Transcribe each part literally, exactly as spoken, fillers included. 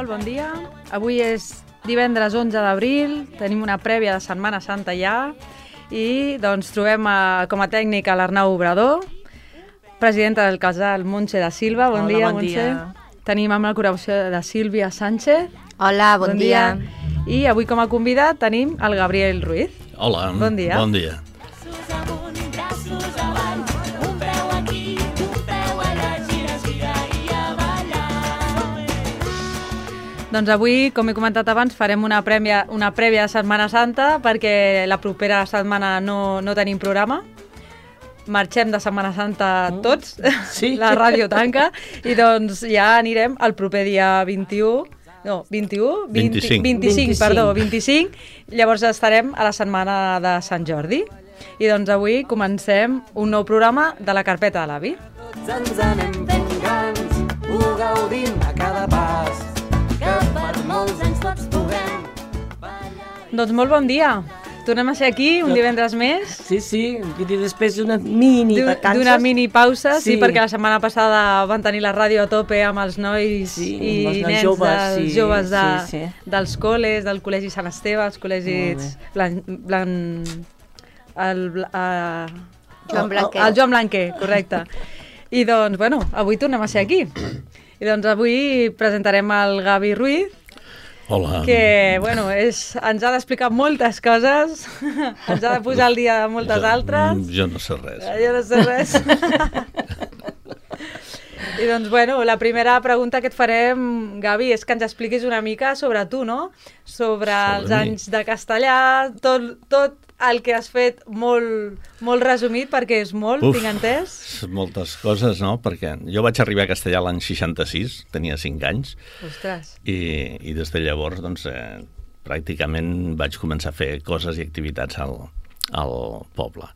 Molt bon dia. Avui és divendres onze d'abril, tenim una prèvia de Setmana Santa ja i doncs trobem a, com a tècnic a l'Arnau Obrador, presidenta del casal Montse da Silva. Bon Hola, dia, bon Montse. dia. Tenim amb la col·laboració de Sílvia Sánchez. Hola, bon, bon dia. dia. I avui com a convidat tenim el Gabriel Ruiz. Hola, bon dia. Bon dia. Doncs avui, com he comentat abans, farem una, prèvia, una prèvia de Setmana Santa perquè la propera setmana no, no tenim programa. Marxem de Setmana Santa tots, sí. La ràdio tanca, i doncs ja anirem el proper dia vint-i-u, no, vint-i-u? vint, vint-i-cinc. vint-i-cinc, perdó, vint-i-cinc, llavors estarem a la setmana de Sant Jordi. I doncs avui comencem un nou programa de la carpeta de l'avi. Tots ens anem fent grans, ho gaudim a cada pas, que per molts anys tots puguem ballar. Doncs molt bon dia. Tornem a ser aquí un divendres més. Sí, sí, i després d'una mini vacances. D'una mini pausa, sí. Sí, sí, perquè la setmana passada van tenir la ràdio a tope amb els nois sí, i els nens joves, dels sí, joves de, sí, sí. dels col·les, del Col·legi Sant Esteve, els col·legis blan, blan, el, uh, Joan Blanquer. El Joan Blanquer, correcte. I doncs, bueno, avui tornem a ser aquí. I doncs avui presentarem el Gavi Ruiz, Hola. que bueno, és, ens ha d'explicar moltes coses, ens ha de posar al dia de moltes jo, altres. Jo no sé res. Jo no sé res. I doncs, bueno, la primera pregunta que et farem, Gavi, és que ens expliquis una mica sobre tu, no? Sobre, sobre els mi. anys de castellà, tot, tot el que has fet molt, molt resumit, perquè és molt, Uf, tinc entès. Moltes coses, no? Perquè jo vaig arribar a castellà l'any seixanta-sis, tenia cinc anys, Ostres. i, i des de llavors, doncs, eh, pràcticament vaig començar a fer coses i activitats al, al poble.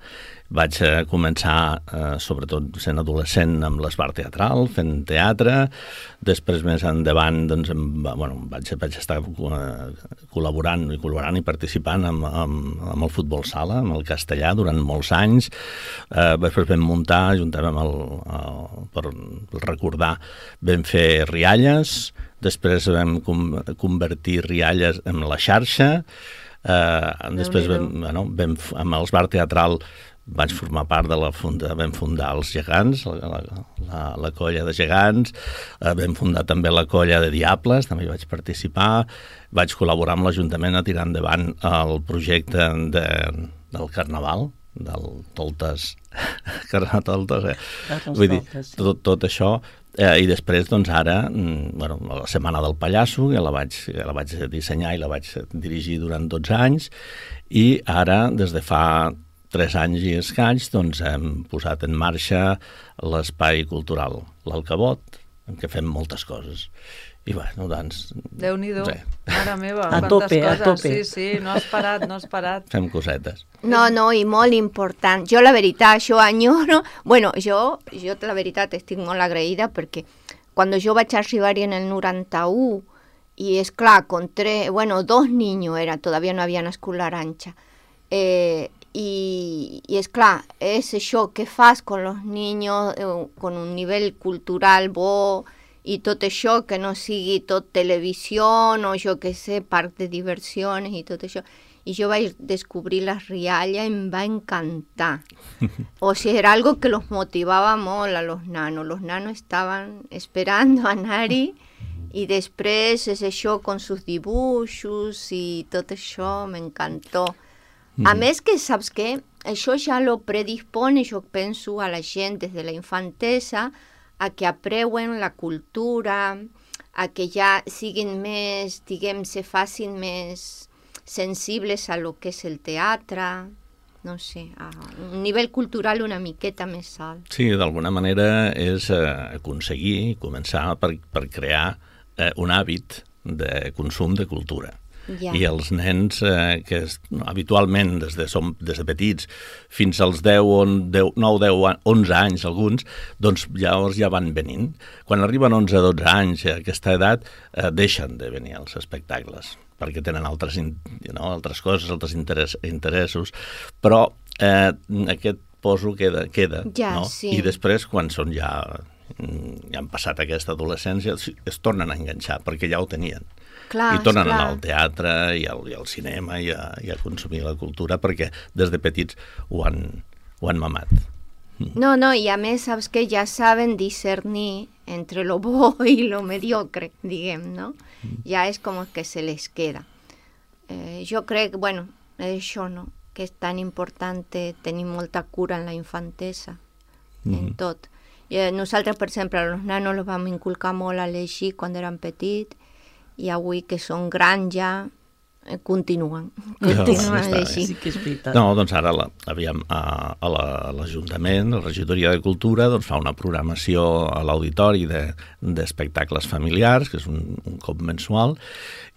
Vaig eh, començar, eh, sobretot sent adolescent, amb l'esbar teatral, fent teatre. Després, més endavant, doncs, em, bueno, vaig, vaig estar eh, col·laborant i col·laborant i participant amb, amb, amb el futbol sala, amb el castellà, durant molts anys. Eh, després vam muntar, juntament amb el, el, per recordar, vam fer rialles. Després vam com, convertir rialles en la xarxa. Eh, després vam, bueno, vam, amb el bar teatral vaig formar part de la funda, vam fundar els gegants, la, la, la colla de gegants, eh, vam fundar també la colla de diables, també hi vaig participar, vaig col·laborar amb l'Ajuntament a tirar endavant el projecte de, del Carnaval, del Toltes, Carnaval Toltes, eh? Vull dir, tot, tot això, eh, i després, doncs, ara, bueno, la Setmana del Pallasso, que la vaig, la vaig dissenyar i la vaig dirigir durant dotze anys, i ara, des de fa tres anys i escaig, doncs hem posat en marxa l'espai cultural L'Alcabot, en què fem moltes coses. I bueno, doncs... Déu-n'hi-do, mare meva, a quantes tope, coses. a tope. Sí, sí, no has parat, no has parat. Fem cosetes. No, no, i molt important. Jo, la veritat, jo enyoro... Bueno, jo, jo la veritat, estic molt agraïda perquè quan jo vaig arribar en el noranta-u i, és clar, con tres... Bueno, dos niños era, todavía no havia nascut l'Arantxa. Eh... Y, y es claro, es això que fas con los niños, eh, con un nivell cultural bo, i tot això, que no sigui tot televisió o jo que sé, parc de diversions i tot això. I jo vaig descobrir les rialles i em va encantar. O sigui, era algo que los motivava molt a los nanos. Los nanos estaven esperando anar-hi i després és això con sus dibuixos i tot això m'encantó. A més que, saps què? Això ja lo predispone, jo penso, a la gent des de la infantesa a que apreuen la cultura, a que ja siguin més, diguem, se facin més sensibles a lo que és el teatre, no sé, a un nivell cultural una miqueta més alt. Sí, d'alguna manera és eh, aconseguir, començar per, per crear eh, un hàbit de consum de cultura. Ja. I els nens eh, que es, no, habitualment des de, som, des de petits fins als deu, nou, deu, onze anys alguns, doncs llavors ja van venint. Quan arriben onze, dotze anys a aquesta edat eh, deixen de venir als espectacles perquè tenen altres, no, altres coses, altres interès, interessos, però eh, aquest poso queda, queda ja, no? Sí. I després quan són ja ja han passat aquesta adolescència, es tornen a enganxar, perquè ja ho tenien. Clar, I tornen esclar. a anar al teatre i al, i al cinema i a, i a consumir la cultura, perquè des de petits ho han, ho han mamat. No, no, y a més, saps que ja saben discernir entre lo bo y lo mediocre, diguem, no? Ja és com que se les queda. Eh, jo crec, bueno, això, no?, que és tan important tenir molta cura en la infantesa, mm -hmm. en tot. Eh, nosaltres, per exemple, als nanos els vam inculcar molt a llegir quan eren petits, i avui que són grans ja eh, continuen, continuen no, a llegir. Sí que és veritat. No, doncs ara la, aviam, a, a la- a l'Ajuntament, la Regidoria de Cultura, doncs fa una programació a l'auditori de- d'espectacles familiars, que és un, un cop mensual,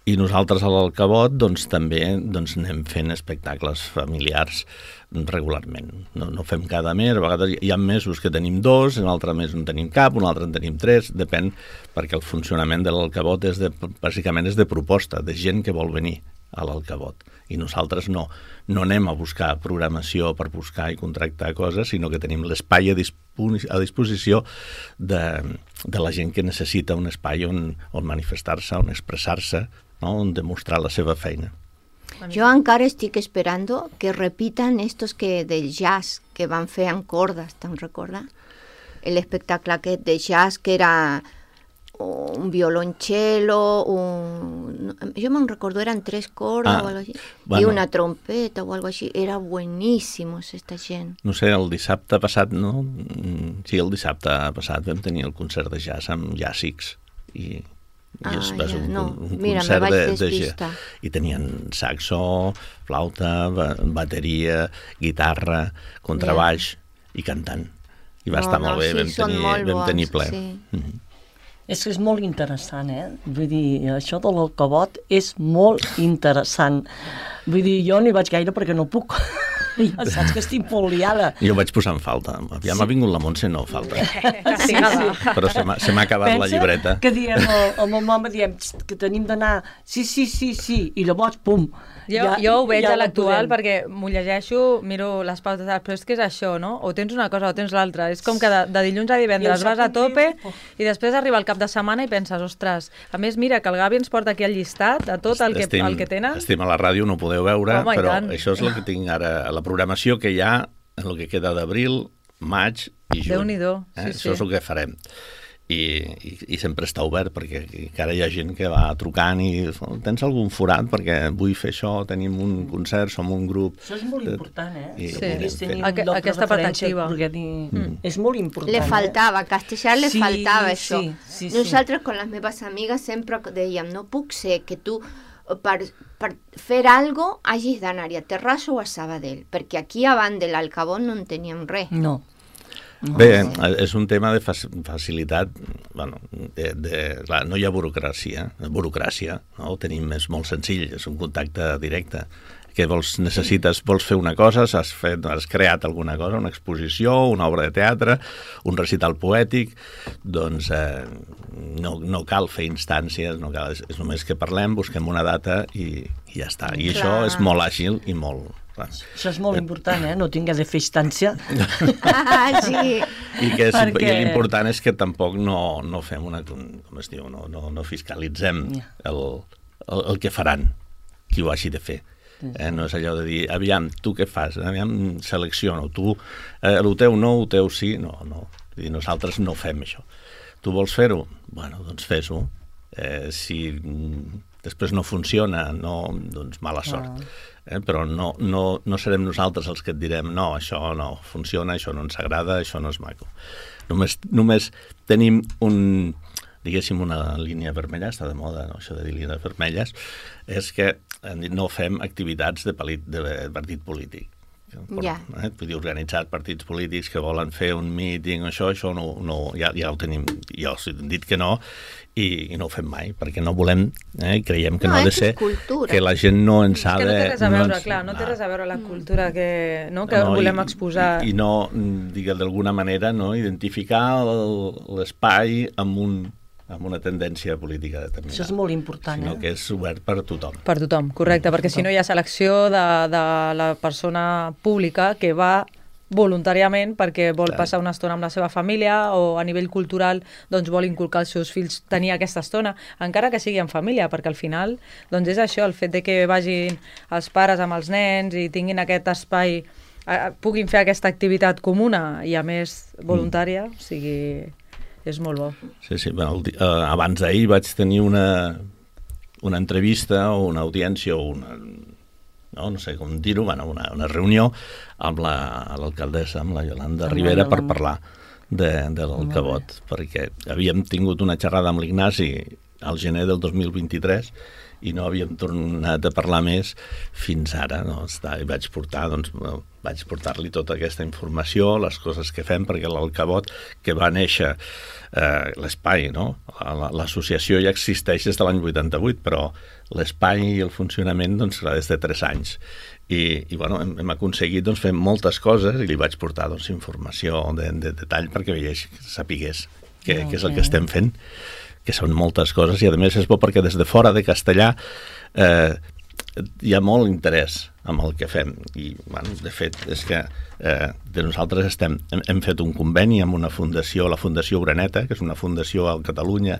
i nosaltres a l'Alcabot doncs, també doncs, anem fent espectacles familiars regularment. No, no fem cada mes, a vegades hi ha mesos que tenim dos, en altre mes no tenim cap, un altre en tenim tres, depèn, perquè el funcionament de l'Alcabot és de, bàsicament és de proposta, de gent que vol venir a l'Alcabot. I nosaltres no, no anem a buscar programació per buscar i contractar coses, sinó que tenim l'espai a, dispo a disposició de, de la gent que necessita un espai on, on manifestar-se, on expressar-se, no? On demostrar la seva feina. Jo encara estic esperando que repitan estos que del jazz que van fer amb cordes, te'n recordes? L'espectacle aquest de jazz que era un violonchelo, un... yo me recuerdo eran tres cordas Ah, o algo así, bueno. y una trompeta o algo así, era buenísimos esta gent. No sé, el dissabte passat, no? Mm, Sí, el dissabte passat vam tenir el concert de jazz amb Jàssics i, i Ah, es va ser ja, un, no. un Mira, me concert vaig de, de despistar. jazz. I tenien saxo, flauta, ba bateria, guitarra, contrabaix i cantant. I va No, estar no, molt bé, sí, vam són tenir, molt vam tenir bons, ple. sí. Mm -hmm. És que és molt interessant, eh? Vull dir, això de l'Alcabot és molt interessant. Vull dir, jo no hi vaig gaire perquè no puc. Ja saps que estic molt liada. Jo vaig posar en falta. Ja m'ha vingut la Montse, no falta. Sí, sí. Però se m'ha se m'ha acabat la llibreta. que diem, el, el meu mama diem "Xt, que tenim d'anar, sí, sí, sí, sí, i llavors, pum. Jo, jo ho veig ja a no l'actual podem. perquè m'ho llegeixo, miro les pautes, però és que és això, no? O tens una cosa o tens l'altra. És com que de, de dilluns a divendres I el vas a segon tope dia, oh. i després arriba el cap de setmana i penses, ostres, a més, mira, que el Gavi ens porta aquí el llistat de tot el que, Estem- el que tenen. Estem a la ràdio, no ho podeu veure, Home, i però tant. això és el que tinc ara, la programació que hi ha en el que queda d'abril, maig i juny. Déu-n'hi-do, sí, eh? sí. Això és el que farem. I, i, i sempre està obert, perquè encara hi ha gent que va trucant i tens algun forat, perquè vull fer això, tenim un concert, som un grup... Això és molt important, eh? I- Que Sí. puguis tenir un Aqu- lloc de aquesta referència, perspectiva. poder dir... Mm. És molt important. Le faltava, a Castellà le Sí, faltava sí, això. sí, sí. Nosaltres, con les meves amigues, sempre dèiem, no puc ser que tu, per, per fer algo, hagis d'anar a Terrassa o a Sabadell, perquè aquí, abans de l'Alcabot, no en teníem res. Eh? No. no. Bé, és un tema de fac- facilitat, bueno, de, de, clar, no hi ha burocràcia, burocràcia, no? Ho tenim, és molt senzill, és un contacte directe. Que vols, necessites, vols fer una cosa, has, fet, has creat alguna cosa, una exposició, una obra de teatre, un recital poètic, doncs eh, no, no cal fer instàncies, no cal, és, és només que parlem, busquem una data i, i ja està. I Clar. això és molt àgil i molt... Clar. Això és molt important, eh? No tingues de fer instància. Ah, sí. I, que és, Perquè- i l'important és que tampoc no, no fem una... Com es diu? No, no, no fiscalitzem el, el, el que faran, qui ho hagi de fer. Eh, no és allò de dir, aviam, tu què fas? Aviam, selecciono. Tu, eh, el teu no, el teu sí. No, no. Vull dir, nosaltres no fem això. Tu vols fer-ho? Bueno, doncs fes-ho. Eh, si mm, després no funciona, no, doncs mala sort. Eh, però no, no, no serem nosaltres els que et direm no, això no funciona, això no ens agrada, això no és maco. Només, només tenim un, diguéssim, una línia vermella, està de moda, no? Això de dir línies vermelles, és que no fem activitats de, palit, de partit polític. Per, Ja. eh? Vull dir, organitzar partits polítics que volen fer un míting, això, això no, no, ja, ja ho tenim, jo hem dit que no, i, i no ho fem mai, perquè no volem, eh? I creiem que No, no, ha de és ser, cultura. que la gent no ens ha És que de... no té res a veure, ens- clar, no té ah. res a veure la cultura que, no, que No, volem i- exposar. I, i no, digue d'alguna manera, no, identificar el- l'espai amb, un, amb una tendència política determinada. Això és molt important, Sinó eh? que és obert per tothom. Per tothom, correcte, perquè si no hi ha selecció de, de la persona pública que va voluntàriament perquè vol Clar. passar una estona amb la seva família o a nivell cultural doncs vol inculcar als seus fills tenir aquesta estona, encara que sigui en família, perquè al final doncs és això, el fet de que vagin els pares amb els nens i tinguin aquest espai, eh, puguin fer aquesta activitat comuna i a més voluntària, mm. o sigui, és molt bo. Sí, sí, bueno, el, di- eh, abans d'ahir vaig tenir una, una entrevista o una audiència o una... No, no sé com dir-ho, bueno, una, una reunió amb la- l'alcaldessa, amb la Yolanda Amb la Rivera, per Yolanda. parlar de, de l'Alcabot, perquè havíem tingut una xerrada amb l'Ignasi al gener del dos mil vint-i-tres i no havíem tornat a parlar més fins ara, no? Està, i vaig portar, doncs, bueno, vaig portar-li tota aquesta informació, les coses que fem, perquè l'Alcabot, que va néixer eh, l'espai, no? La- L'associació ja existeix des de l'any vuitanta-vuit, però l'espai i el funcionament, doncs, serà des de tres anys. I, i bueno, hem, hem aconseguit doncs, fer moltes coses i li vaig portar doncs, informació de, de detall perquè veiés, sapigués què, què és el que estem fent, que són moltes coses, i a més és bo perquè des de fora de Castellà eh, hi ha molt interès amb el que fem, i bueno, de fet és que eh, de nosaltres estem, hem, hem fet un conveni amb una fundació, la Fundació Uraneta, que és una fundació a Catalunya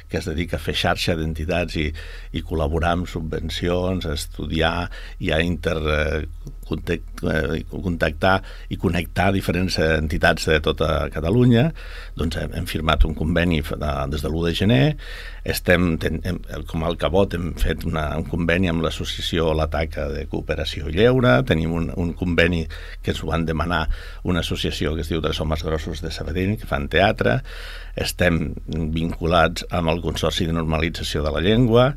que es dedica a fer xarxa d'entitats i, i col·laborar amb subvencions, a estudiar i a inter, eh, contact, eh, contactar i connectar diferents entitats de tota Catalunya. Doncs hem, hem firmat un conveni de, des de l'u de gener. Estem, ten, hem, com a Alcabot hem fet una, un conveni amb l'associació La Taca de Cooperació i Lleure, tenim un, un conveni que ens ho van demanar una associació que es diu Tres Homes Grossos de Sabadell, que fan teatre. Estem vinculats amb el Consorci de Normalització de la Llengua,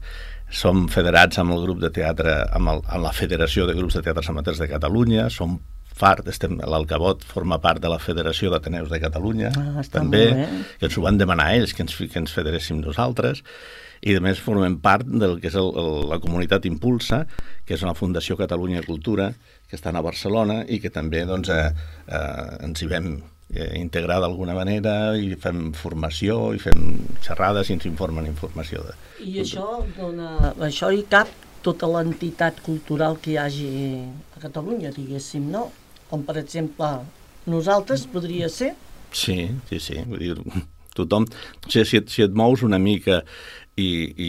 som federats amb el grup de teatre, amb, el, amb la Federació de Grups de Teatres Amateurs de Catalunya, som part, estem, l'Alcabot forma part de la Federació d'Ateneus de Catalunya, Ah, està també, molt bé. que ens ho van demanar ells, que ens, que ens federéssim nosaltres, i a més formem part del que és el, el, la comunitat Impulsa, que és una Fundació Catalunya Cultura, que està a Barcelona i que també doncs, eh, eh, ens hi vam eh, integrar d'alguna manera i fem formació i fem xerrades i ens informen informació. De... I això dona, això hi cap tota l'entitat cultural que hi hagi a Catalunya, diguéssim, no? Com, per exemple, nosaltres podria ser? Sí, sí, sí. Vull dir, tothom... Si, si, et, si et mous una mica i, i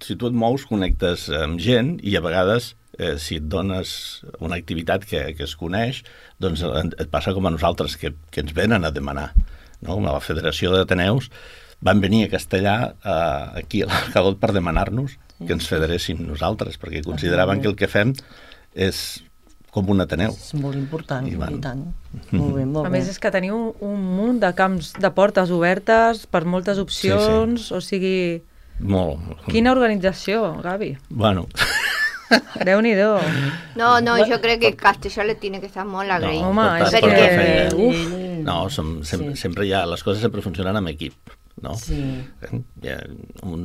si tu et mous, connectes amb gent i a vegades, eh, si et dones una activitat que, que es coneix, doncs et passa com a nosaltres, que, que ens venen a demanar. No? Com a la Federació d'Ateneus van venir a Castellà, eh, aquí a l'Alcalot, per demanar-nos que ens federéssim nosaltres, perquè consideraven que el que fem és com un Ateneu. És molt important, I i, van. i tant. Molt bé, molt A bé. més, és que teniu un munt de camps, de portes obertes per moltes opcions, o sigui... Molt. Quina organització, Gavi. Bueno, Déu-n'hi-do. No, no, yo creo que Castelló le tiene que estar molt agraït. No, Home, per és tant, per que... la feina. Uf, no, som, sem Sí. sempre hi ha, les coses sempre funcionen amb equip, no? Sí. Eh, hi ha un,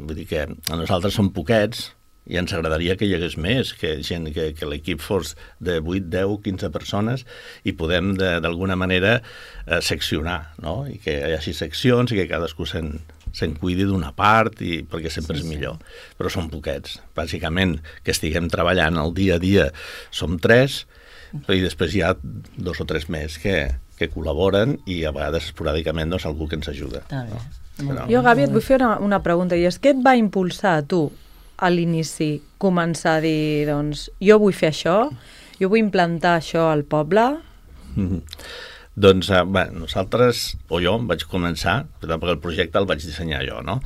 vull dir que nosaltres som poquets i ens agradaria que hi hagués més, que, gent, que, que l'equip fos de vuit, deu, quinze persones i podem d'alguna manera eh, seccionar, no? I que hi hagi seccions i que cadascú se'n se'n cuidi d'una part, i, perquè sempre Sí, és sí. millor. Però són poquets. Bàsicament, que estiguem treballant el dia a dia som tres, i després hi ha dos o tres més que, que col·laboren i a vegades esporàdicament doncs, algú que ens ajuda. Està bé. Però- jo, Gavi, et vull fer una, una pregunta, i és què et va impulsar a tu a l'inici començar a dir, doncs, jo vull fer això, jo vull implantar això al poble? Mhm. Doncs, eh, bé, nosaltres, o jo, vaig començar, perquè el projecte el vaig dissenyar jo, no?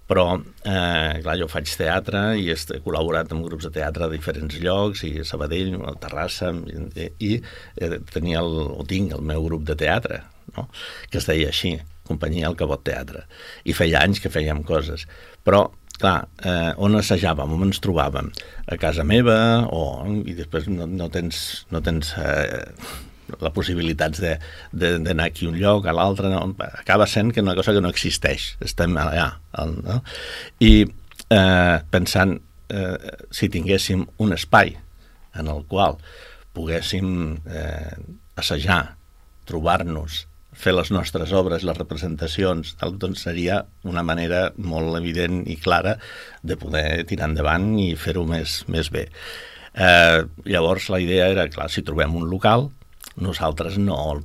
Però, eh, clar, jo faig teatre i he col·laborat amb grups de teatre a diferents llocs, i a Sabadell, a Terrassa, i, i eh, tenia el, o tinc el meu grup de teatre, no? Que es deia així, Companyia Alcabot Teatre. I feia anys que fèiem coses. Però, clar, eh, on assajàvem, on ens trobàvem? A casa meva, o, i després no, no tens... No tens eh, la possibilitat d'anar aquí a un lloc, a l'altre, no? Acaba sent que una cosa que no existeix, estem allà, no? I eh, pensant eh, si tinguéssim un espai en el qual poguéssim eh, assajar, trobar-nos, fer les nostres obres, les representacions, doncs seria una manera molt evident i clara de poder tirar endavant i fer-ho més, més bé. Eh, llavors la idea era, clar, si trobem un local, nosaltres no,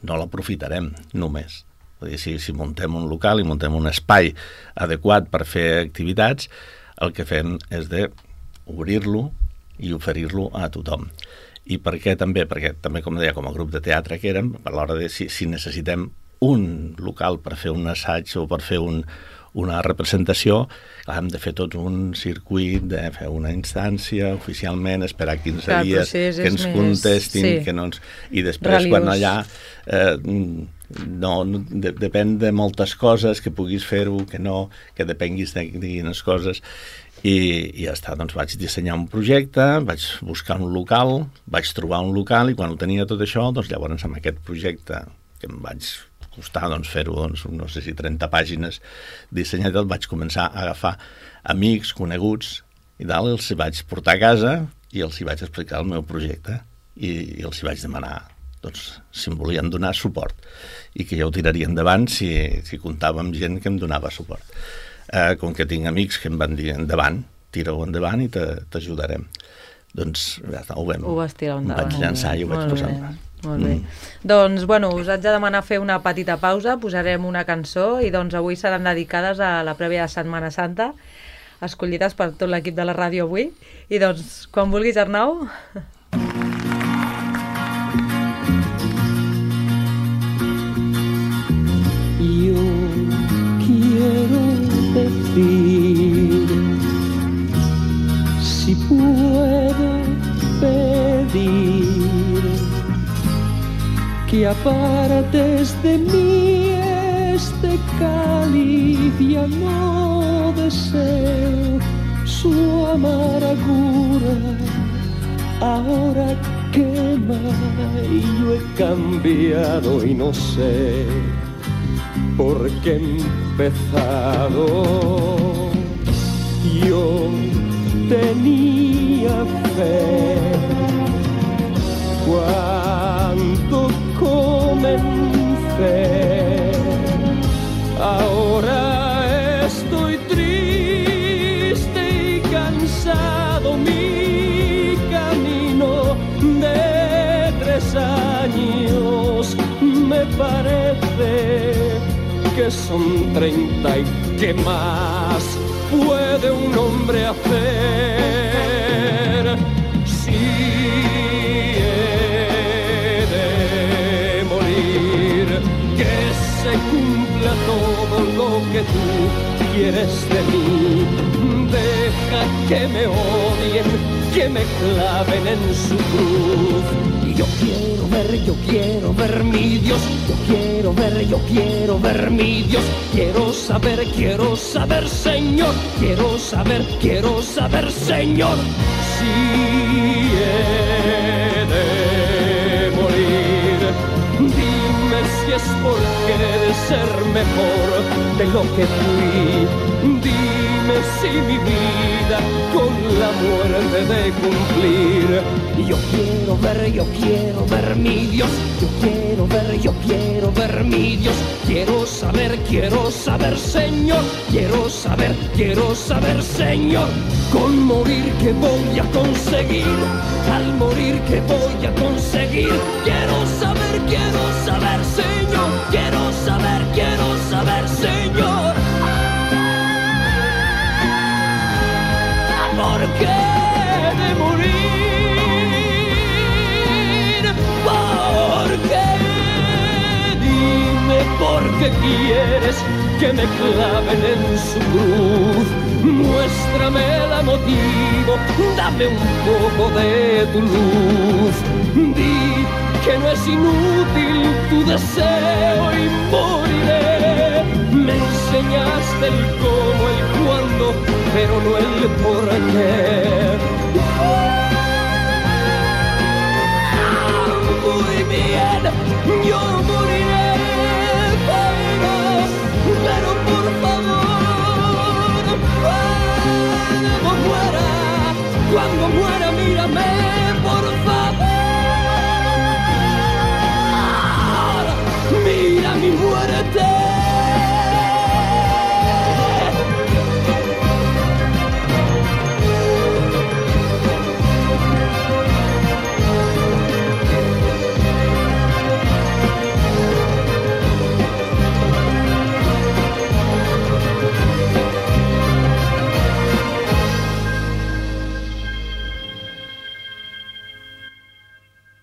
no l'aprofitarem només. Vull dir, si, si muntem un local i muntem un espai adequat per fer activitats, el que fem és de obrir-lo i oferir-lo a tothom. I per què també? Perquè també, com deia, com a grup de teatre que érem, a l'hora de si, si necessitem un local per fer un assaig o per fer un, una representació, hem de fer tot un circuit, de fer una instància oficialment, esperar quinze Clar, dies que ens més... contestin, sí. que no ens... i després Relius. Quan allà eh, no, no de, depèn de moltes coses, que puguis fer-ho, que no, que depenguis de, de quines coses, i, i ja està, doncs vaig dissenyar un projecte, vaig buscar un local, vaig trobar un local, i quan ho tenia tot això, doncs llavors amb aquest projecte que em vaig costar doncs, fer-ho, doncs, no sé si trenta pàgines dissenyat, vaig començar a agafar amics, coneguts, i tal, els hi vaig portar a casa i els hi vaig explicar el meu projecte i, i els hi vaig demanar doncs, si em volien donar suport i que ja ho tiraria endavant si, si comptava amb gent que em donava suport. Eh, com que tinc amics que em van dir endavant, tira-ho endavant i t'ajudarem. Doncs ja està, ho vam. Ho vas tirar endavant. Vaig llançar i ho vaig posar endavant. Molt bé. Mm. Doncs, bueno, us haig de demanar fer una petita pausa, posarem una cançó i doncs avui seran dedicades a la prèvia de Setmana Santa, escollides per tot l'equip de la ràdio avui. I doncs, quan vulguis, Arnau. Yo quiero decir, si puedo pedir, que apartes de mí este cáliz, ya no deseo su amargura, ahora quema y yo he cambiado y no sé por qué he empezado. Yo tenía fe cuando comencé, ahora estoy triste y cansado, mi camino de tres años me parece que son treinta y qué más puede un hombre hacer si se cumpla todo lo que tú quieres de mí. Deja que me odien, que me claven en su cruz. Y yo quiero ver, yo quiero ver mi Dios. Yo quiero ver, yo quiero ver mi Dios. Quiero saber, quiero saber, Señor. Quiero saber, quiero saber, Señor. Si he de morir, dime si es por querer ser mejor de lo que fui. Dime si mi vida con la muerte de cumplir. Y yo quiero ver, yo quiero ver mi Dios. Yo quiero ver, yo quiero ver mi Dios. Quiero saber, quiero saber, Señor. Quiero saber, quiero saber, Señor. Con morir que voy a conseguir, al morir que voy a conseguir. Quiero saber, quiero saber, Señor. Quiero saber, quiero saber, Señor. ¿Por qué de morir? ¿Por qué? Dime por qué quieres que me claven en su cruz. Muéstrame la motivo, dame un poco de tu luz. Di que no es inútil tu deseo y moriré. Me enseñaste el cómo, el cuándo, pero no el por qué. Muy bien, yo moriré, pero, pero por favor, cuando muera, cuando muera, mírame, por favor, mira mi muerte.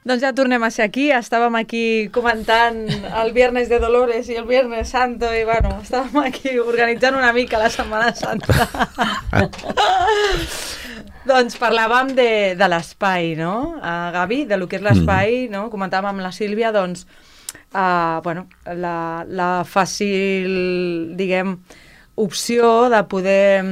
Doncs ja tornem a ser aquí, estàvem aquí comentant el Viernes de Dolores i el Viernes Santo i bueno, estàvem aquí organitzant una mica la Setmana Santa. Doncs parlàvem de, de l'espai, no? Uh, Gavi, de lo que és l'espai, no? Comentàvem amb la Sílvia, doncs, uh, bueno, la, la fàcil, diguem, opció de poder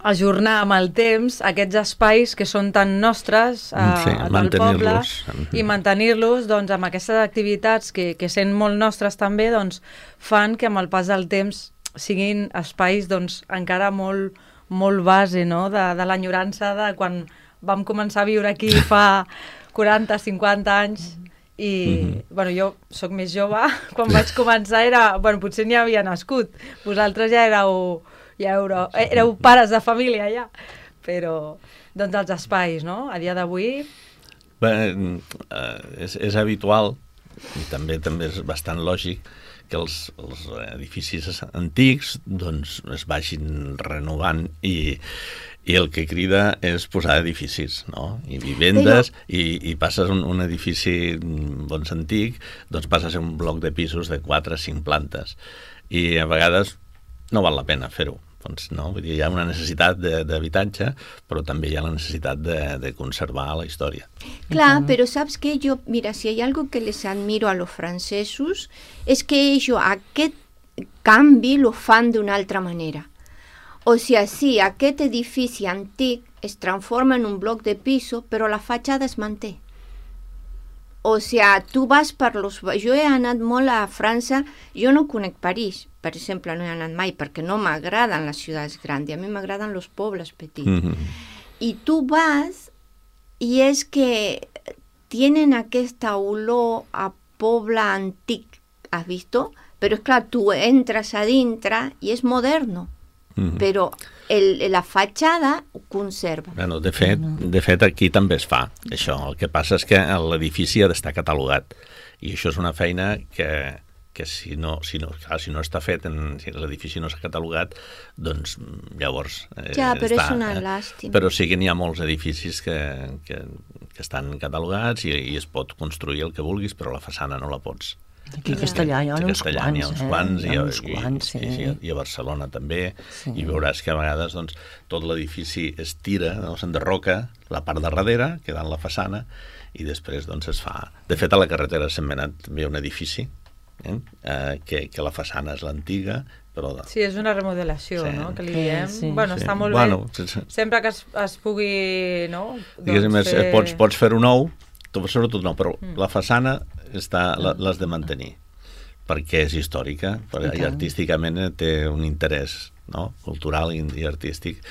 ajornar amb el temps aquests espais que són tan nostres eh, sí, del poble mm-hmm. i mantenir-los doncs, amb aquestes activitats que, que sent molt nostres també doncs, fan que amb el pas del temps siguin espais doncs, encara molt, molt base, no? de, de l'enyorança de quan vam començar a viure aquí fa quaranta cinquanta anys i mm-hmm. bueno, jo sóc més jove, quan vaig començar era, bueno, potser ni havia nascut, vosaltres ja éreu ja éreu, éreu pares de família ja, però doncs els espais, no? A dia d'avui... Bé, eh, és, és habitual i també també és bastant lògic que els, els edificis antics doncs es vagin renovant i, i el que crida és posar edificis, no? I vivendes, però... i, i passes un, un edifici doncs, antic, doncs passes a ser un bloc de pisos de quatre o cinc plantes i a vegades no val la pena fer-ho. Doncs no, vull dir, hi ha una necessitat d'habitatge, però també hi ha la necessitat de, de conservar la història. Clar, però saps què? Jo, mira, si hi ha algo que les admiro a los francesos és que ells aquest canvi lo fan d'una altra manera. O sigui, sí, aquest edifici antic es transforma en un bloc de piso, però la fatxada es manté. O sigui, tu vas per los... Jo he anat molt a França, jo no conec París, per exemple, no he anat mai, perquè no m'agraden les ciutats grans, a mi m'agraden els pobles petits. Mm-hmm. I tu vas, i és que tienen aquesta olor a poble antic, has visto? Però és clar, tu entres a dintre i és moderno. Mm-hmm. Però el, la fatxada ho conserva. Bueno, de fet, de fet, aquí també es fa, això. El que passa és que l'edifici ha d'estar catalogat i això és una feina que, que si, no, si, no, clar, si no està fet, en, si l'edifici no s'ha catalogat, doncs llavors... Eh, ja, però està, és una eh? llàstima. Però sí que n'hi ha molts edificis que, que, que estan catalogats i, i es pot construir el que vulguis, però la façana no la pots. Aquí a Castellà hi ha uns quants, hi ha uns quants, eh? i, Hi ha uns quants, i, sí. i, i a Barcelona també, sí. I veuràs que a vegades doncs, tot l'edifici es tira, no? S'enderroca la part de darrere, quedant la façana, i després doncs, es fa... De fet, a la carretera de Sentmenat també hi ha un edifici, eh? Eh, que, que la façana és l'antiga, però... Sí, és una remodelació, sí. no?, que li diem. Sí, sí. Bueno, sí. està molt bueno, bé. Sí. Sempre que es, es pugui, no? Diguéssim, doncs, fer... pots, pots fer-ho nou, sobretot no, però mm. la façana l'has de mantenir, perquè és històrica, perquè i artísticament té un interès, no? Cultural i, i artístic,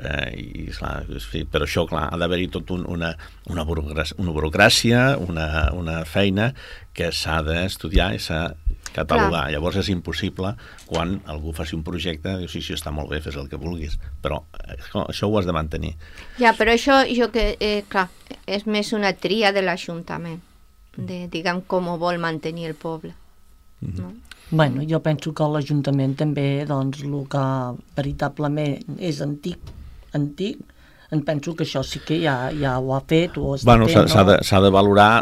eh, i clar, sí, però això clar, ha d'haver-hi tot un, una, una, burocràcia, una burocràcia, una, una feina que s'ha d'estudiar i s'ha de catalogar. Clar. Llavors és impossible quan algú faci un projecte, diu, sí, sí, està molt bé, fes el que vulguis, però això ho has de mantenir. Ja, però això, jo que, eh, clar, és més una tria de l'Ajuntament, de, diguem, com ho vol mantenir el poble. No? Bueno, jo penso que l'Ajuntament també, doncs, el que veritablement és antic, antic, em penso que això sí que ja, ja ho ha fet, ho està bueno, fent, s'ha no? de, s'ha de valorar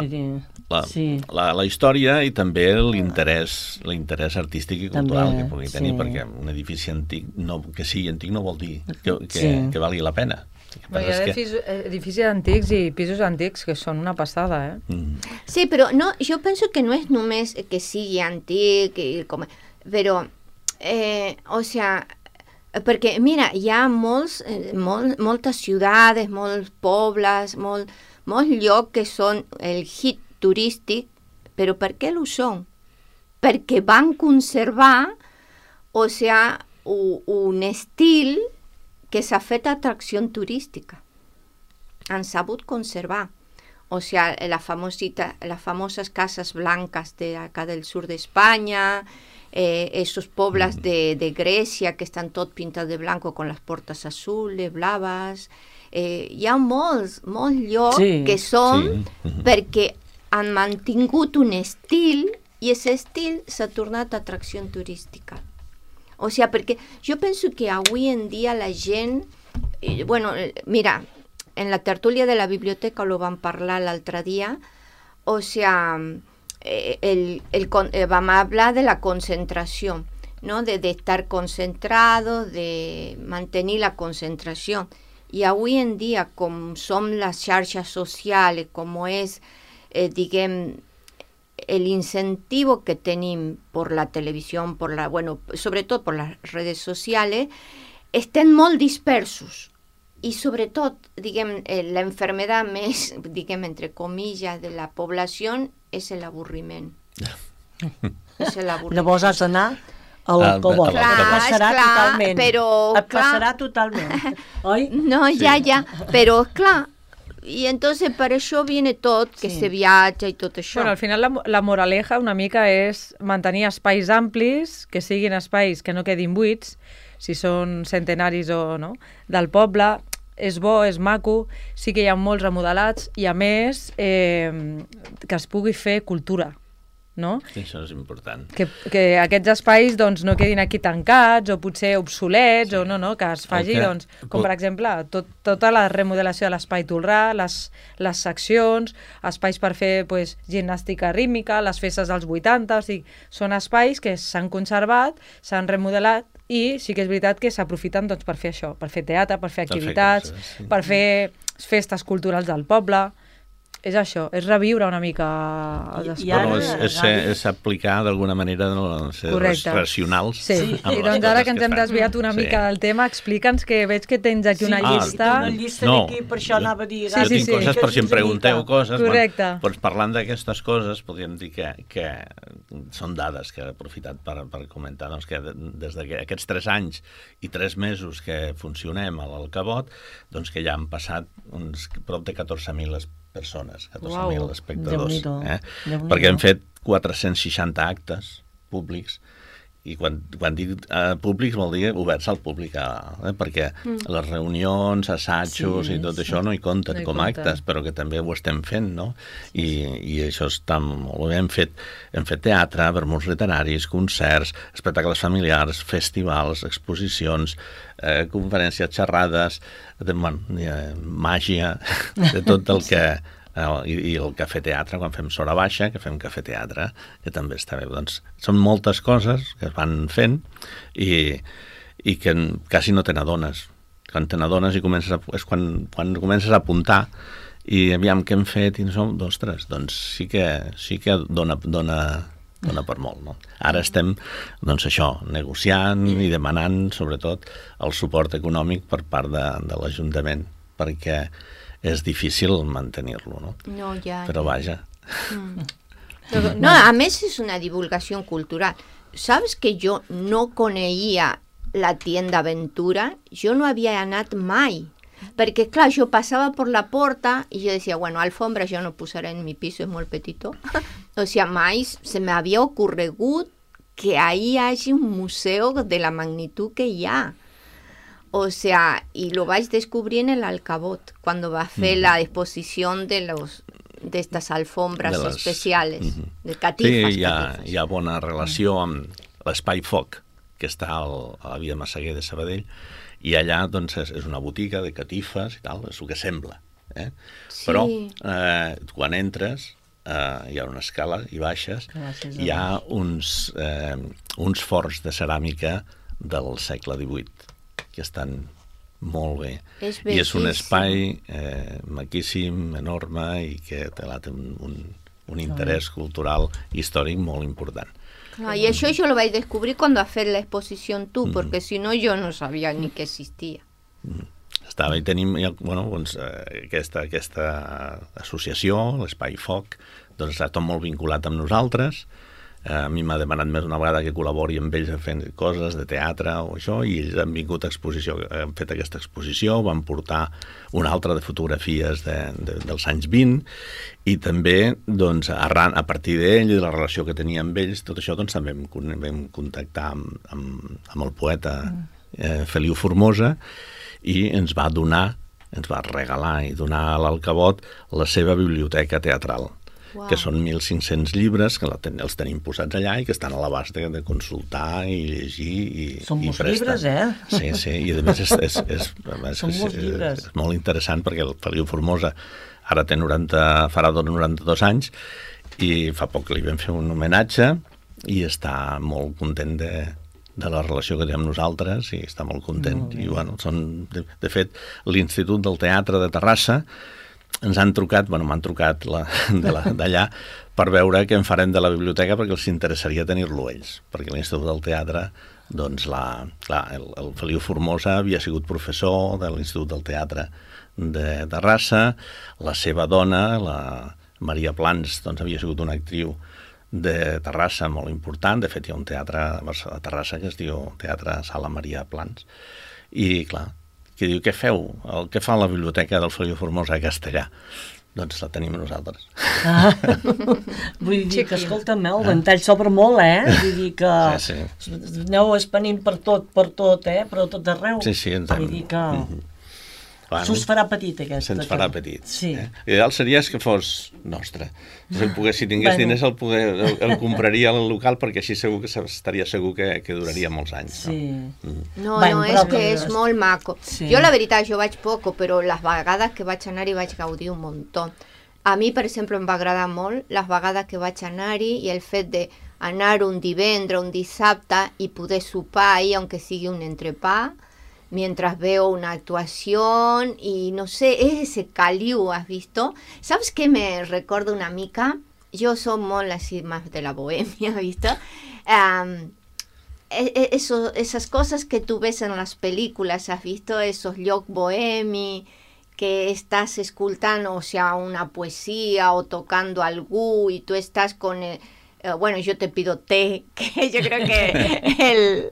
la, sí. la, la història i també l'interès l'interès artístic i cultural també, que pugui tenir, sí. Perquè un edifici antic, no, que sigui antic no vol dir que, que, sí. que valgui la pena. Bueno, hi ha edificis, que... edificis antics i pisos antics que són una passada, eh? Mm. Sí, però no, jo penso que no és només que sigui antic, i com, però, eh, o sea, perquè, mira, hi ha molts, eh, molt, moltes ciutats, molts pobles, molt, molts llocs que són el hit turístic, però per què ho són? Perquè van conservar, o sea, un, un estil que s'ha fet atracció turística. Han sabut conservar. O sea, la famosita, las famosas casas blancas de acá del sur de España, eh, esos pueblos de, de Grecia que estan tot pintats de blanco con las portes azules, blaves. Eh, hi ha molts, molts llocs sí, que són sí. perquè han mantingut un estil i aquest estil s'ha tornat atracció turística. O sigui, perquè jo penso que avui en dia la gent, eh, bueno, mira, en la tertulia de la biblioteca lo van parlar l'altre dia, o sea, el, el, el, vam hablar de la concentració, ¿no? De, de estar concentrado, de mantenir la concentració. I avui en dia, com som les xarxes socials, com és, eh, diguem, el incentivo que tenim por la televisión, por la, bueno, sobretot por las redes sociales, estem molt dispersos. I sobretot, diguem, eh, la enfermedad més, diguem, entre comillas, de la població és l'avorriment. És l'avorriment. Llavors has d'anar al cobot. Clar, Et passarà clar, totalment. però, Et clar, passarà totalment, oi? No, ja, ja, però clar, i entonces per això viene tot, que Sí. se viatja i tot això. Bueno, al final la, la moraleja una mica és mantenir espais amplis, que siguin espais que no quedin buits, si són centenaris o no, del poble. És bo, és maco, sí que hi ha molts remodelats i a més eh, que es pugui fer cultura, no? Sí, això és important. Que, que aquests espais doncs, no quedin aquí tancats o potser obsolets, sí. o no, no, que es faci, que... doncs, com per exemple, tot, tota la remodelació de l'espai Tolrà, les, les seccions, espais per fer pues, gimnàstica rítmica, les festes dels vuitanta, o sigui, són espais que s'han conservat, s'han remodelat i sí que és veritat que s'aprofiten doncs, per fer això, per fer teatre, per fer activitats, per fer coses, sí. per fer festes culturals del poble. És això, és reviure una mica els I- i espais. ara- Bueno, és, és, ser- és aplicar d'alguna manera no, ser Correcte. racionals. Sí, Sí. i doncs ara que ens hem desviat una Sí. mica del tema, explica'ns que veig que tens aquí una Sí, Ah, llista. una llista no, d'aquí, per això anava a dir... Sí, Jo sí, tinc sí. coses, per si em pregunteu coses. Correcte. Bueno, doncs parlant d'aquestes coses, podríem dir que, que són dades que he aprofitat per, per comentar, doncs que des d'aquests tres anys i tres mesos que funcionem a l'Alcabot, doncs que ja han passat uns prop de catorze mil persones, catorze mil Uau, espectadors. Déu-n'hi-do, Eh? Déu-n'hi-do. Perquè hem fet quatre-cents seixanta actes públics i quan, quan dic eh, públics vol dir oberts al públic, eh? perquè mm. les reunions, assajos Sí, i tot sí. això no hi compten No hi com compten. actes, però que també ho estem fent, no? I, i això està molt bé. Hem fet, hem fet teatre, vermuts literaris, concerts, espectacles familiars, festivals, exposicions, eh, conferències, xerrades, de, bueno, eh, màgia, de tot el que... I, i el cafè teatre, quan fem Sora Baixa, que fem cafè teatre, que també està bé. Doncs són moltes coses que es van fent i, i que quasi no te n'adones. Quan te n'adones i comences a, és quan, quan comences a apuntar i aviam què hem fet i no som, ostres, doncs sí que, sí que dona, dona, dona per molt, no? Ara estem, doncs això, negociant i demanant, sobretot, el suport econòmic per part de, de l'Ajuntament, perquè és difícil mantenir-lo, no? No, ja. Però vaja. No, a més és una divulgació cultural. ¿Sabes que jo no coneixia la tienda Aventura? Jo no havia anat mai. Perquè, clar, jo passava per la porta i jo decía, bueno, alfombra jo no posaré en mi piso, és molt petito. O sea, mai se m'havia ocorregut que ahí hi hagi un museu de la magnitud que hi ha. O sea, y lo vais descubriendo en el Alcabot, cuando va a hacer mm. la exposición de los de estas alfombras de les... especiales, mm -hmm. de catifes. Sí, hi ha, catifes. hi ha bona relació amb l'Espai Foc, que està al, a la via Massaguer de Sabadell, i allà doncs, és, és una botiga de catifes i tal, és el que sembla. Eh? Sí. Però eh, quan entres eh, hi ha una escala i baixes, Gràcies, hi ha uns, eh, uns forns de ceràmica del segle divuit, que estan molt bé. És I és un bellíssim. espai eh, maquíssim, enorme, i que té un, un, un interès cultural i històric molt important. No, y eso yo lo vais a descubrir cuando hacer la exposición tú, mm. porque si no yo no sabía ni que existía. Mm. Estava i tenim bueno, doncs, eh, aquesta, aquesta associació, l'Espai Foc, doncs està tot molt vinculat amb nosaltres. A mi m'ha demanat més una vegada que col·labori amb ells fent coses de teatre o això, i ells han vingut a exposició, han fet aquesta exposició, van portar una altra de fotografies de, de, dels anys vint, i també, doncs, arran, a partir d'ell i de la relació que tenia amb ells, tot això, doncs, també vam, vam contactar amb, amb, amb el poeta eh, Feliu Formosa, i ens va donar, ens va regalar i donar a l'Alcabot la seva biblioteca teatral. Wow. que són mil cinc-cents llibres que la ten, els tenim posats allà i que estan a l'abast de, de consultar i llegir i, Són i molts prestar. llibres, eh? Sí, sí, i a més és, és, és, és, Són és, molts és, llibres. és molt interessant perquè el Feliu Formosa ara té noranta, farà noranta-dos anys i fa poc li vam fer un homenatge i està molt content de, de la relació que té amb nosaltres i està molt content. Molt bé. I, bueno, són, de, de fet, l'Institut del Teatre de Terrassa ens han trucat, bueno, m'han trucat la, de la, d'allà per veure què en farem de la biblioteca perquè els interessaria tenir-lo ells, perquè l'Institut del Teatre, doncs, la, clar, el, el Feliu Formosa havia sigut professor de l'Institut del Teatre de Terrassa, la seva dona, la Maria Plans, doncs, havia sigut una actriu de Terrassa molt important. De fet, hi ha un teatre a Terrassa que es diu Teatre Sala Maria Plans. I, clar, que diu, què feu? El que fa la biblioteca del Feliu Formosa a castellà? Doncs la tenim nosaltres. Ah, vull dir que, escolta'm, el ventall s'obre molt, eh? Vull dir que Sí, sí. aneu espanint per tot, per tot, eh? Però tot arreu. Sí, sí, ens hem... Vull dir que Mhm. Bueno, se'ns farà petit, aquesta. se'ns farà petit. Sí. Eh? L'ideal seria que fos nostre. Si, el pogués, si tingués Bueno. diners el, poder, el, el compraria al local perquè així segur que estaria segur que, que duraria molts anys. Sí. No? Mm. No, Bueno, no, però és que que- és molt maco. Sí. Jo, la veritat, jo vaig poco, però les vegades que vaig anar-hi vaig gaudir un muntó. A mi, per exemple, em va agradar molt les vegades que vaig anar-hi i el fet d'anar un divendres, un dissabte i poder sopar ahí, aunque sigui un entrepà, mientras veo una actuación y no sé, es ese caliu, ¿has visto? ¿Sabes qué me recuerda una mica? Yo soy molt así más de la bohemia, ¿has visto? Um, eso, esas cosas que tú ves en las películas, ¿has visto? Esos lloc bohemi, que estás escultando, o sea, una poesía o tocando algo y tú estás con el... Uh, bueno, yo te pido té, que yo creo que el,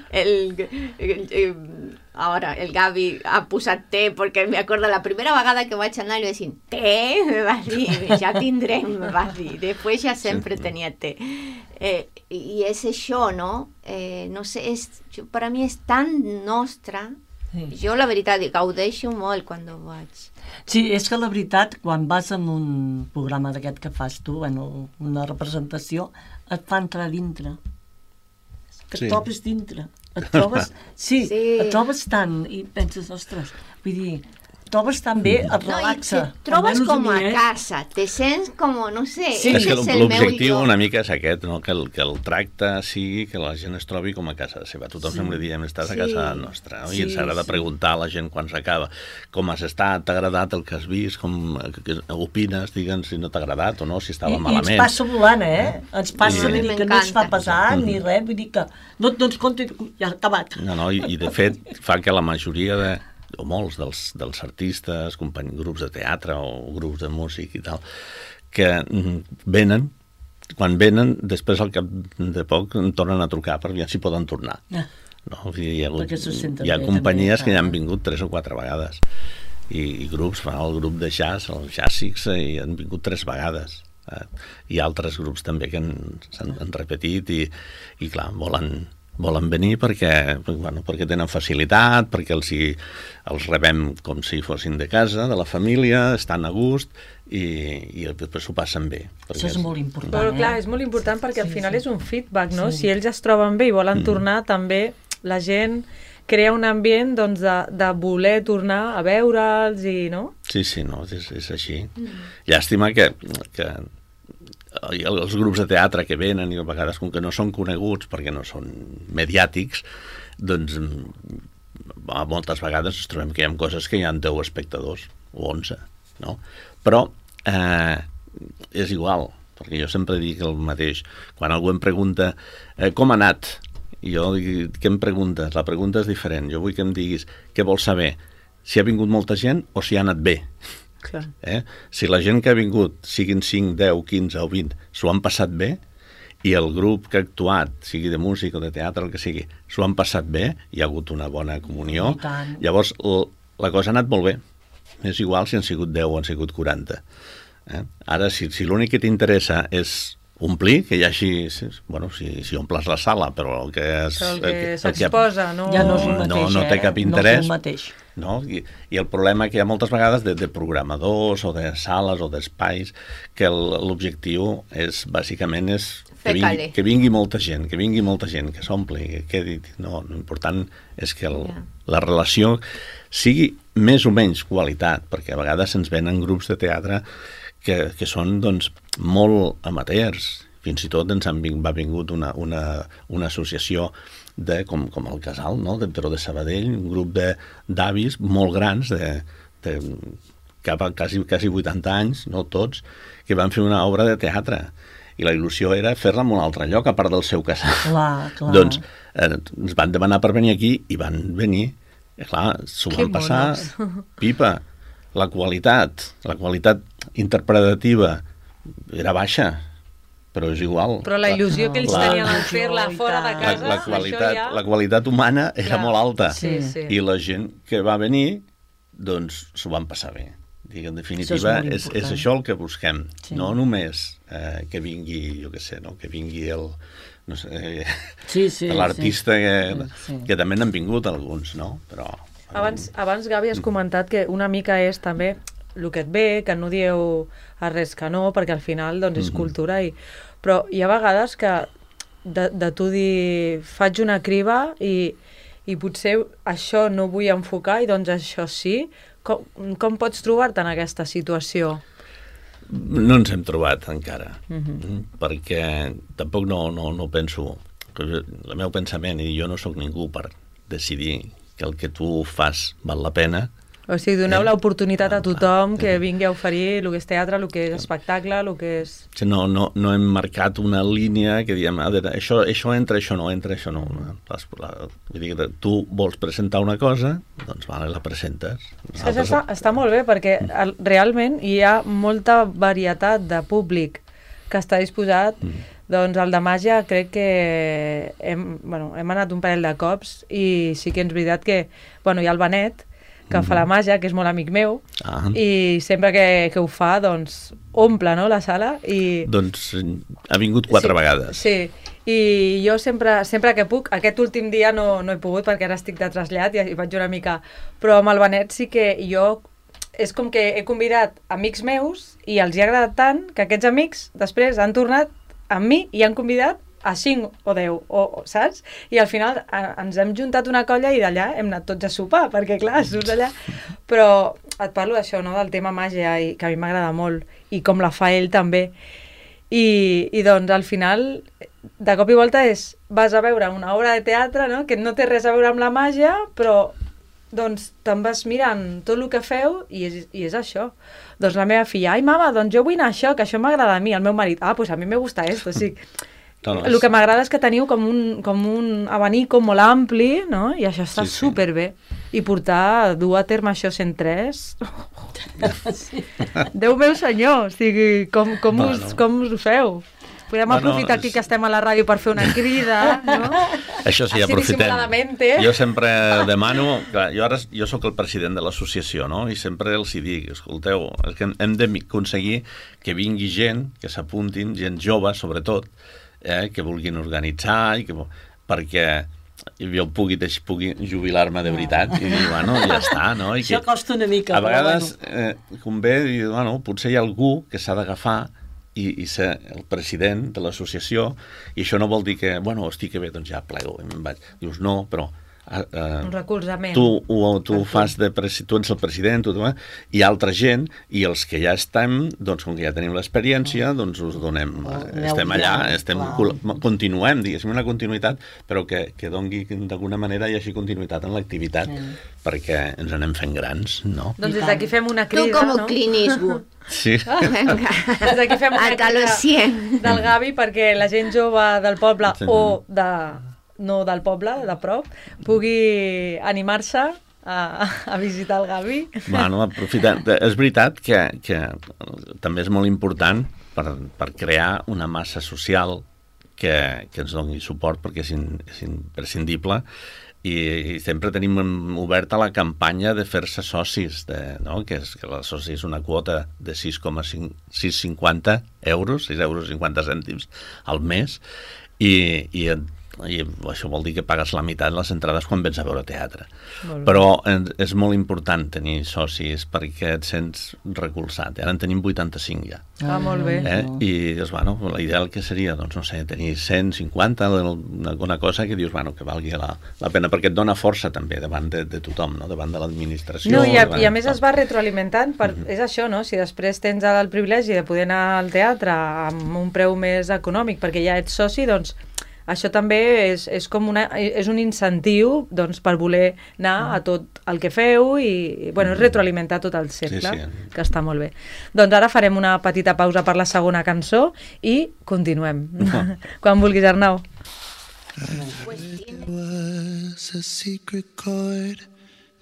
el, el, el ahora el Gavi ha posat té, perquè me acordo la primera vegada que vaig anar i vaig dir, té? Me vas dir, ja tindrem, me vas dir. Després ja sempre tenia té. Eh, I és això, no? Eh, no sé, és, per a mi és tan nostre. Sí. Jo, la veritat, gaudeixo molt quan vaig. Sí, és que la veritat, quan vas en un programa d'aquest que fas tu, bueno, una representació, et fa entrar dintre. Que Sí. et trobes dintre. Et trobes, sí, Sí. et trobes tant i penses, ostres, vull dir, trobes tan bé, et No, i relaxa. te trobes Almenys com a mi, eh? casa, te sents com, no sé, Sí. És que ese és el meu l'objectiu lloc. una mica és aquest, no? que, el, que el tracte sigui que la gent es trobi com a casa seva. Tothom Sí. sempre diem, estàs Sí. a casa nostra. No? I Sí, ens agrada sí. preguntar a la gent quan s'acaba com has estat, t'ha agradat el que has vist, com que, que opines, digue'ns si no t'ha agradat o no, si estava I, I malament. ens passa volant, eh? Ens passa, I- vull dir que no ens fa M'encanta. pesar ni res, vull dir que no et dones compte, ja ha acabat. No, no, i, i de fet fa que la majoria de, o molts dels, dels artistes, company, grups de teatre o grups de músic i tal, que mm, venen, quan venen, després al cap de poc em tornen a trucar per veure si poden tornar. Ah. No? Vull dir, hi ha, hagut, Perquè se senten hi ha bé, companyies també, que ja clar. han vingut tres o quatre vegades i, i grups, fa el grup de jazz, el Jazzix, i han vingut tres vegades. Eh? Hi ha altres grups també que han, s'han han repetit i, i clar, volen, volen venir perquè, bueno, perquè tenen facilitat, perquè els, hi, els rebem com si fossin de casa, de la família, estan a gust i, i després s'ho passen bé. Això és molt important, Però eh? clar, és molt important perquè al Sí, final sí. és un feedback, no? Sí. Si ells es troben bé i volen tornar, també la gent crea un ambient doncs, de, de voler tornar a veure'ls i, no? Sí, sí, no, és, és així. Llàstima que, que els grups de teatre que venen i a vegades com que no són coneguts perquè no són mediàtics, doncs a moltes vegades ens trobem que hi ha coses que hi ha deu espectadors o onze, no? Però eh, és igual, perquè jo sempre dic el mateix. Quan algú em pregunta eh, com ha anat, i jo dic, què em preguntes? La pregunta és diferent. Jo vull que em diguis què vols saber, si ha vingut molta gent o si ha anat bé. Clar. Eh? Si la gent que ha vingut, siguin cinc, deu, quinze o vint, s'ho han passat bé, i el grup que ha actuat, sigui de música o de teatre, el que sigui, s'ho han passat bé, hi ha hagut una bona comunió, I tant. llavors l- la cosa ha anat molt bé. És igual si han sigut deu o han sigut quaranta. Eh? Ara, si, si l'únic que t'interessa és omplir, que hi hagi... Bueno, si, si omples la sala, però el que es, Però el que el que- s'exposa, no... Ja no és el mateix, no, no té eh? cap No és interès. el mateix. No? I, I el problema que hi ha moltes vegades de, de programadors o de sales o d'espais, que el- l'objectiu és, bàsicament, és que Fer vingui, caler. que vingui molta gent, que vingui molta gent, que s'ompli, que quedi... No, l'important és que el, Ja. la relació sigui més o menys qualitat, perquè a vegades se'ns venen grups de teatre que, que són, doncs, molt amateurs. Fins i tot ens han ving, va vingut una, una, una associació de, com, com el Casal, no? de, però de Sabadell, un grup de d'avis molt grans, de, de cap a quasi, quasi vuitanta anys, no tots, que van fer una obra de teatre. I la il·lusió era fer-la en un altre lloc, a part del seu casal. Clar, clar. Doncs eh, ens van demanar per venir aquí i van venir. I clar, s'ho Que van passar monos. pipa. La qualitat, la qualitat interpretativa era baixa, però és igual. Però la il·lusió que ells La- tenien al fer-la I fora de tant. la, casa, la, qualitat, això ja... la qualitat humana era Clar. molt alta. Sí, sí. I la gent que va venir, doncs s'ho van passar bé. Dic, en definitiva, molt és, és important. això el que busquem. Sí. No només eh, que vingui, jo què sé, no? que vingui el... No sé, Sí, sí, l'artista sí. que, Sí. que també n'han vingut alguns, no? Però... Abans, abans, Gavi, has comentat que una mica és també el que et ve, que no dieu a res que no, perquè al final doncs, és Mhm. cultura. I... Però hi ha vegades que de, de tu dir faig una criba i, i potser això no vull enfocar i doncs això sí. Com, com pots trobar-te en aquesta situació? No ens hem trobat encara, Mhm. mm, perquè tampoc no, no, no penso... El meu pensament, i jo no sóc ningú per decidir que el que tu fas val la pena. O sigui, doneu Eh? l'oportunitat a tothom que Eh. vingui a oferir el que és teatre, el que és espectacle, el que és... No, no, no hem marcat una línia que diem, a veure, això, això entra, això no entra, això no. Les, la, vull dir, que tu vols presentar una cosa, doncs vale, la presentes. És que això està, està molt bé perquè el, realment hi ha molta varietat de públic que està disposat. Mm. Doncs el de màgia crec que hem, bueno, hem anat un parell de cops i sí que és veritat que bueno, hi ha el Benet, que Mhm. fa la màgia, que és molt amic meu, Ah. i sempre que, que ho fa, doncs, omple, no?, la sala. I... Doncs ha vingut quatre sí, vegades. Sí, i jo sempre, sempre que puc, aquest últim dia no, no he pogut perquè ara estic de trasllat i, i vaig una mica... Però amb el Benet sí que jo... És com que he convidat amics meus i els hi ha agradat tant que aquests amics després han tornat amb mi i han convidat a cinc o deu, o, o, saps? I al final a, ens hem juntat una colla i d'allà hem anat tots a sopar, perquè clar, surts allà... Però et parlo d'això, no?, del tema màgia, i que a mi m'agrada molt, i com la fa ell també. I, I doncs al final, de cop i volta és, vas a veure una obra de teatre, no?, que no té res a veure amb la màgia, però doncs te'n vas mirant tot el que feu i és, i és això. Doncs la meva filla, ai mama, doncs jo vull anar a això, que això m'agrada a mi. El meu marit, ah, pues a mi me gusta esto, o sigui... No, no, El que m'agrada és que teniu com un, com un abanico molt ampli, no? I això està Sí, sí. superbé. I portar, dur a terme això cent tres... Déu meu senyor, o sigui, com, com, Bueno. us, com us ho feu? Podem Bueno, aprofitar aquí és- que estem a la ràdio per fer una crida, no? Això sí, Així aprofitem. dissimuladamente. Jo sempre demano... Clar, jo ara jo sóc el president de l'associació, no? I sempre els hi dic, escolteu, és que hem d'aconseguir que vingui gent, que s'apuntin, gent jove, sobretot, eh, que vulguin organitzar, i que, perquè jo pugui, deix, pugui jubilar-me de veritat i dir, bueno, ja està, no? I Això que, costa una mica, a però vegades bueno. eh, convé dir, bueno, potser hi ha algú que s'ha d'agafar i, i ser el president de l'associació, i això no vol dir que, bueno, hosti, que bé, doncs ja plego, i me'n vaig. Dius, no, però... Eh, Un recolzament. tu, ho, tu fas de presi tu ets el president, tu, tu, eh? Hi ha altra gent, i els que ja estem, doncs com que ja tenim l'experiència, doncs us donem, Oh, eh, estem aneu allà, guiant, estem, clar. col- continuem, diguéssim, una continuïtat, però que, que dongui d'alguna manera hi hagi continuïtat en l'activitat, Sí. perquè ens anem fent grans, no? Doncs des d'aquí fem una Tú crida, como no? Clint Eastwood. Sí. Venga. Des d'aquí fem una Hasta los crida cien. del Gavi perquè la gent jove del poble Sí. o de, no del poble, de prop, pugui animar-se a, a visitar el Gavi. Bueno, aprofitant. És veritat que, que també és molt important per, per crear una massa social que, que ens doni suport, perquè és, in, és imprescindible. i, i sempre tenim oberta la campanya de fer-se socis, de, no? que, és, que la soci és una quota de sis coma cinquanta euros, sis euros cinquanta cèntims al mes, i, i, i això vol dir que pagues la meitat de les entrades quan vens a veure teatre. Però és molt important tenir socis perquè et sents recolzat. Ara en tenim vuitanta-cinc ja. Ah, molt bé. Eh? I dius, bueno, l'ideal que seria, doncs, no sé, tenir cent cinquanta, alguna cosa que dius, bueno, que valgui la, la pena, perquè et dona força també davant de, de tothom, no? Davant de l'administració. No, i a, i a de... més es va retroalimentant, per, mm-hmm. és això, no? Si després tens el privilegi de poder anar al teatre amb un preu més econòmic perquè ja ets soci, doncs això també és, és, com una, és un incentiu doncs, per voler anar a tot el que feu i bueno, retroalimentar tot el cercle, sí, sí. que està molt bé. Doncs ara farem una petita pausa per la segona cançó i continuem. Uh-huh. Quan vulguis, Arnau. It was a secret chord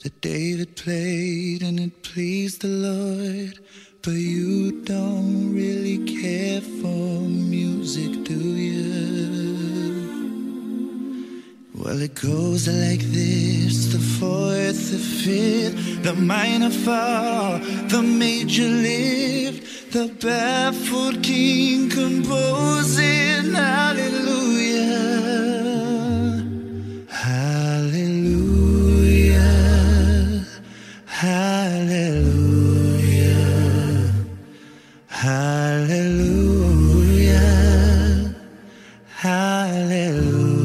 that David played and it pleased the Lord, but you don't really care for music, do you? Well, it goes like this: the fourth, the fifth, the minor fall, the major lift, the baffled king composing hallelujah, hallelujah, hallelujah, hallelujah, hallelujah.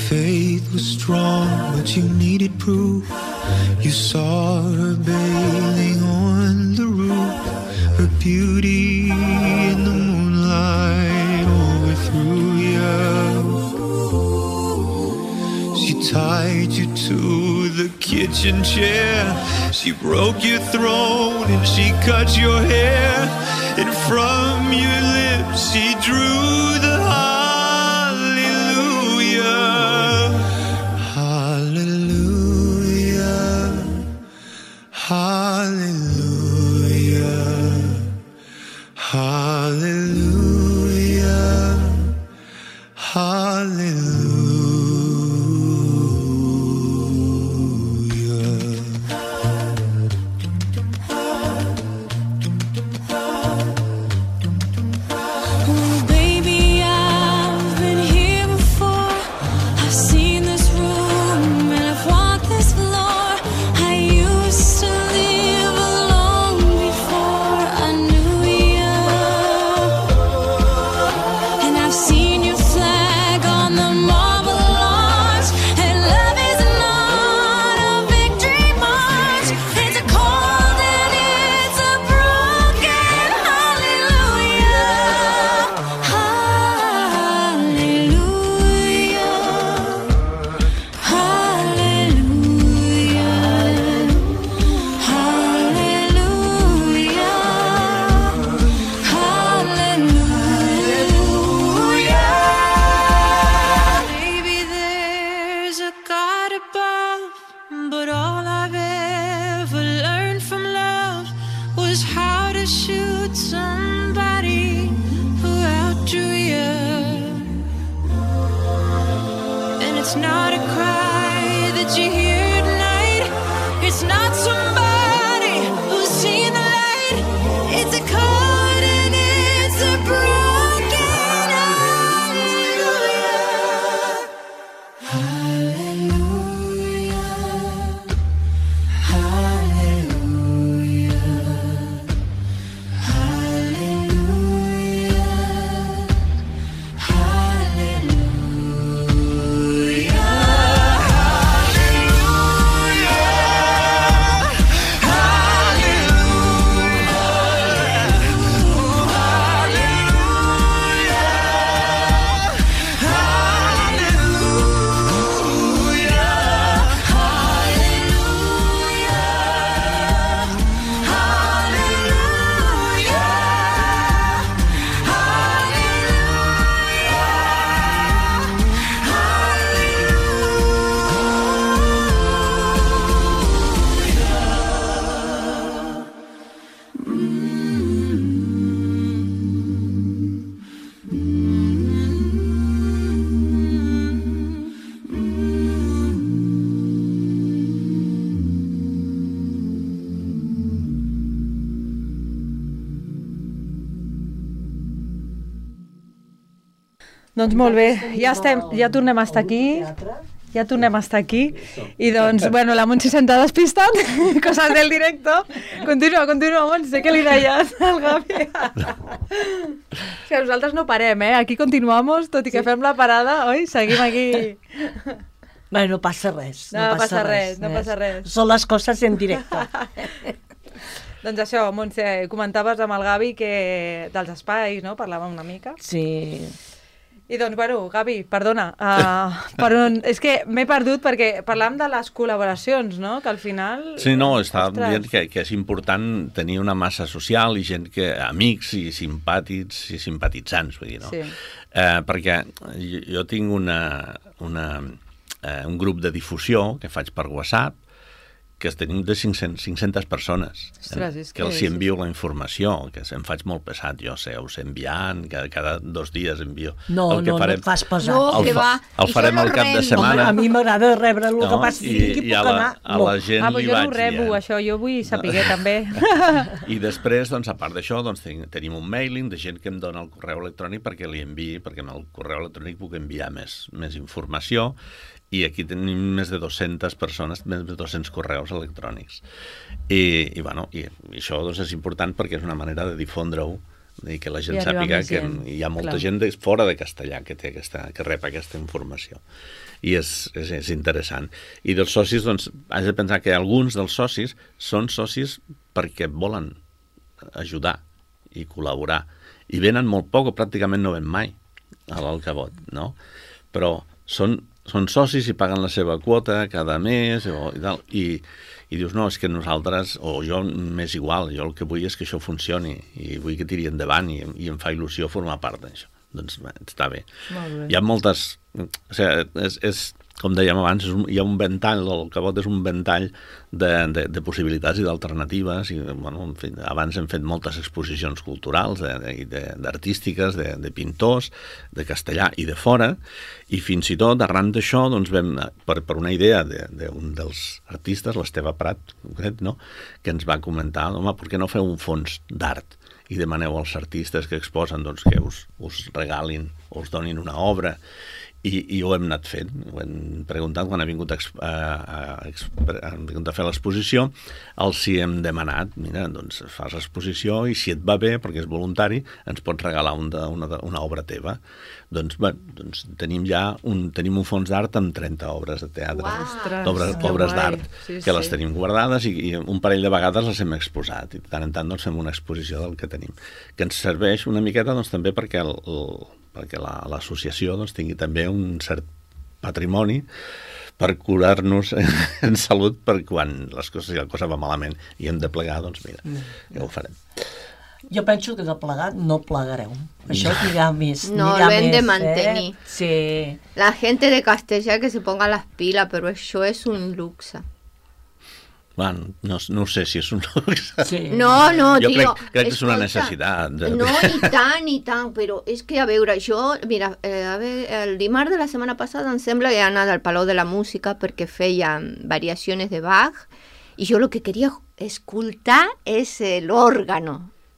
Faith was strong, but you needed proof. You saw her bathing on the roof, her beauty in the moonlight overthrew you. She tied you to the kitchen chair, she broke your throne and she cut your hair, and from your lips she drew the heart. Hallelujah, hallelujah, hallelujah. Oh, baby, I've been here before. I've seen this room and I've walked this floor. I used to live alone before I knew you. Doncs molt bé, ja, estem, ja tornem a estar aquí, ja tornem a estar aquí, i doncs, bueno, la Montse s'ha despistat, coses del directo. Continua, continua, Montse, què li deies al Gavi? O sigui, nosaltres no parem, eh? Aquí continuamos, tot i que fem la parada, oi? Seguim aquí. Bé, no passa res. No, no passa res, no eh? passa res. Són les coses en directe. Doncs això, Montse, comentaves amb el Gavi que dels espais, no? Parlàvem una mica. Sí. I doncs, bueno, Gavi, perdona, uh, per on... és que m'he perdut perquè parlàvem de les col·laboracions, no? Que al final... Sí, no, estava Ostres. dient que, que és important tenir una massa social i gent que... amics i simpàtics i simpatitzants, vull dir, no? Sí. Eh, perquè jo, jo tinc una, una, eh, un grup de difusió que faig per WhatsApp, que tenim de cinc-centes, cinc-centes persones, Ostres, eh, és que que els sí, envio la informació, que em faig molt pesat, jo sé, us enviant, cada, cada dos dies envio. No, el que no, farem, no et fas pesat. No, el, que fa, va. el I farem jo al no cap de remo. setmana. Home, a mi m'agrada rebre el No, que passi i, i, i puc a la, anar. a la gent Ah, li però jo vaig no ho rebo, dient. això, jo vull saber també. I després, doncs, a part d'això, doncs, ten- tenim un mailing de gent que em dona el correu electrònic perquè li enviï, perquè amb el correu electrònic puc enviar més, més informació, i aquí tenim més de dues-centes persones, més de dos-cents correus electrònics. I, i, bueno, i, i això doncs, és important perquè és una manera de difondre-ho i que la gent I arribar sàpiga més que gent, hi ha molta clar. gent de, fora de castellà que, té aquesta, que rep aquesta informació. I és, és, és interessant. I dels socis, doncs, has de pensar que alguns dels socis són socis perquè volen ajudar i col·laborar. I venen molt poc o pràcticament no ven mai a l'Alcavot, no? Però són, són socis i paguen la seva quota cada mes o, i tal, i, i dius, no, és que nosaltres, o jo m'és igual, jo el que vull és que això funcioni i vull que tiri endavant i, i em fa il·lusió formar part d'això. Doncs bé, està bé. Molt bé. Hi ha moltes... O sigui, és, és, com dèiem abans, és un, hi ha un ventall, el Cabot és un ventall de, de, de possibilitats i d'alternatives, i bueno, en fi, abans hem fet moltes exposicions culturals, de, de, de, d'artístiques, de, de pintors, de castellà i de fora, i fins i tot, arran d'això, doncs vam, per, per una idea d'un de, de dels artistes, l'Esteve Prat, concret, no?, que ens va comentar, home, per què no feu un fons d'art i demaneu als artistes que exposen doncs, que us, us regalin o us donin una obra. I, i ho hem anat fent, ho hem preguntat quan ha vingut a, a, a, a, vingut a fer l'exposició, els hi hem demanat, mira, doncs fas l'exposició i si et va bé, perquè és voluntari, ens pots regalar un de, una, una obra teva. Doncs, bé, doncs tenim ja un, tenim un fons d'art amb trenta obres de teatre, Uau. Ostres, obres, que obres guai. d'art, Sí, que les sí. tenim guardades i, i un parell de vegades les hem exposat i de tant en tant doncs, fem una exposició del que tenim, que ens serveix una miqueta doncs, també perquè el, el perquè la, l'associació doncs, tingui també un cert patrimoni per curar-nos en salut per quan les coses, si la cosa va malament i hem de plegar, doncs mira, ja ho farem. Jo penso que de plegat no plegareu. Això anirà més. No, anirà lo hem de més, mantenir. Eh? Sí. La gente de Castellà que se ponga las pilas, pero això és un luxe. Bueno, no, no sé si és un luxe. Sí. No, no, Jo tio. crec, crec que és una escolta, necessitat. De... No, i tant, i tant, però és que, a veure, jo, mira, eh, a veure, el dimarts de la setmana passada em sembla que he anat al Palau de la Música perquè feia variacions de Bach i jo el que queria escoltar és l'òrgano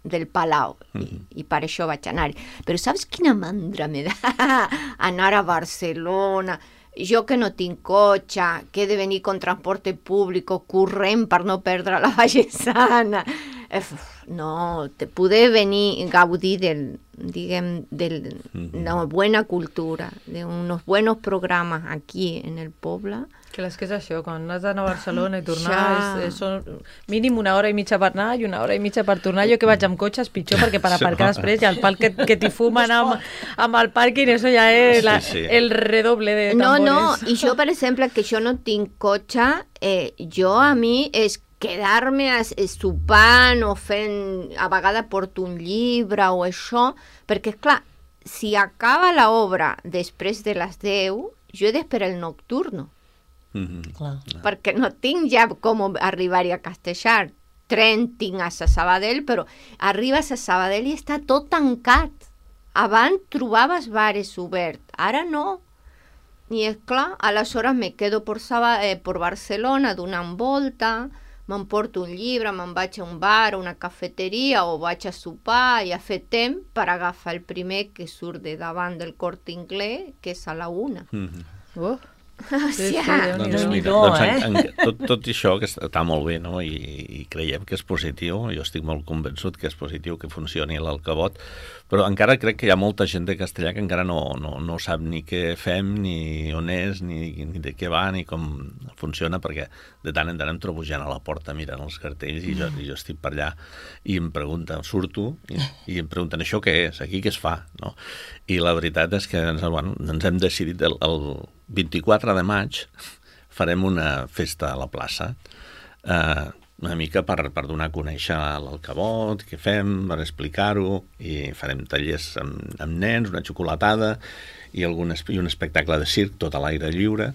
del Palau I, i per això vaig anar. Però saps quina mandra me da anar a Barcelona? Jo que no tinc cotxe, que he de venir con transporte públic, corrent per no perdre la Vallesana. No, te poder venir gaudir del, diguem, de una buena cultura, de unos buenos programas aquí en el poble. Que és que és això, quan has d'anar a Barcelona i tornar, Ja. és, és, són mínim una hora i mitja per anar i una hora i mitja per tornar. Jo que vaig amb cotxe és pitjor, perquè per aparcar després hi ha el pal que, que t'hi fumen amb, amb el pàrquing, això ja és la, Sí, sí. el redoble de No, tambores. no, i jo, per exemple, que jo no tinc cotxe, eh, jo a mi és quedar-me a- sopant o fent, a vegades porto un llibre o això, perquè, clar, si acaba l'obra després de les deu, jo he d'esperar el nocturno, Mhm. Clar. perquè no tinc ja com arribar-hi a Castellar. Tren tinc a Sabadell, però arribes a Sabadell i està tot tancat. Abans trobaves bares oberts, ara no. I és clar, aleshores me quedo por, Saba, eh, por Barcelona donant volta, m'emporto un llibre, me'n vaig a un bar, a una cafeteria o vaig a sopar i a fer temps per agafar el primer que surt de davant del Corte Inglés, que és a la una. Mm-hmm. Uh. O Sí, sigui, sí, Déu-n'hi-do. Doncs, mira, Déu-n'hi-do, doncs eh? en, en, tot, tot això que està molt bé, no? I, i creiem que és positiu, jo estic molt convençut que és positiu que funcioni l'Alcavot, però encara crec que hi ha molta gent de Castellà que encara no, no, no sap ni què fem, ni on és, ni, ni de què va, ni com funciona, perquè de tant en tant em trobo gent a la porta mirant els cartells i jo, i jo estic per allà i em pregunten, surto, i, i em pregunten això què és, aquí què es fa, no? I la veritat és que ens, bueno, ens hem decidit el, el vint-i-quatre de maig farem una festa a la plaça, eh, una mica per, per donar a conèixer l'Alcavot, què fem, per explicar-ho, i farem tallers amb, amb nens, una xocolatada i, algun, i un espectacle de circ tot a l'aire lliure,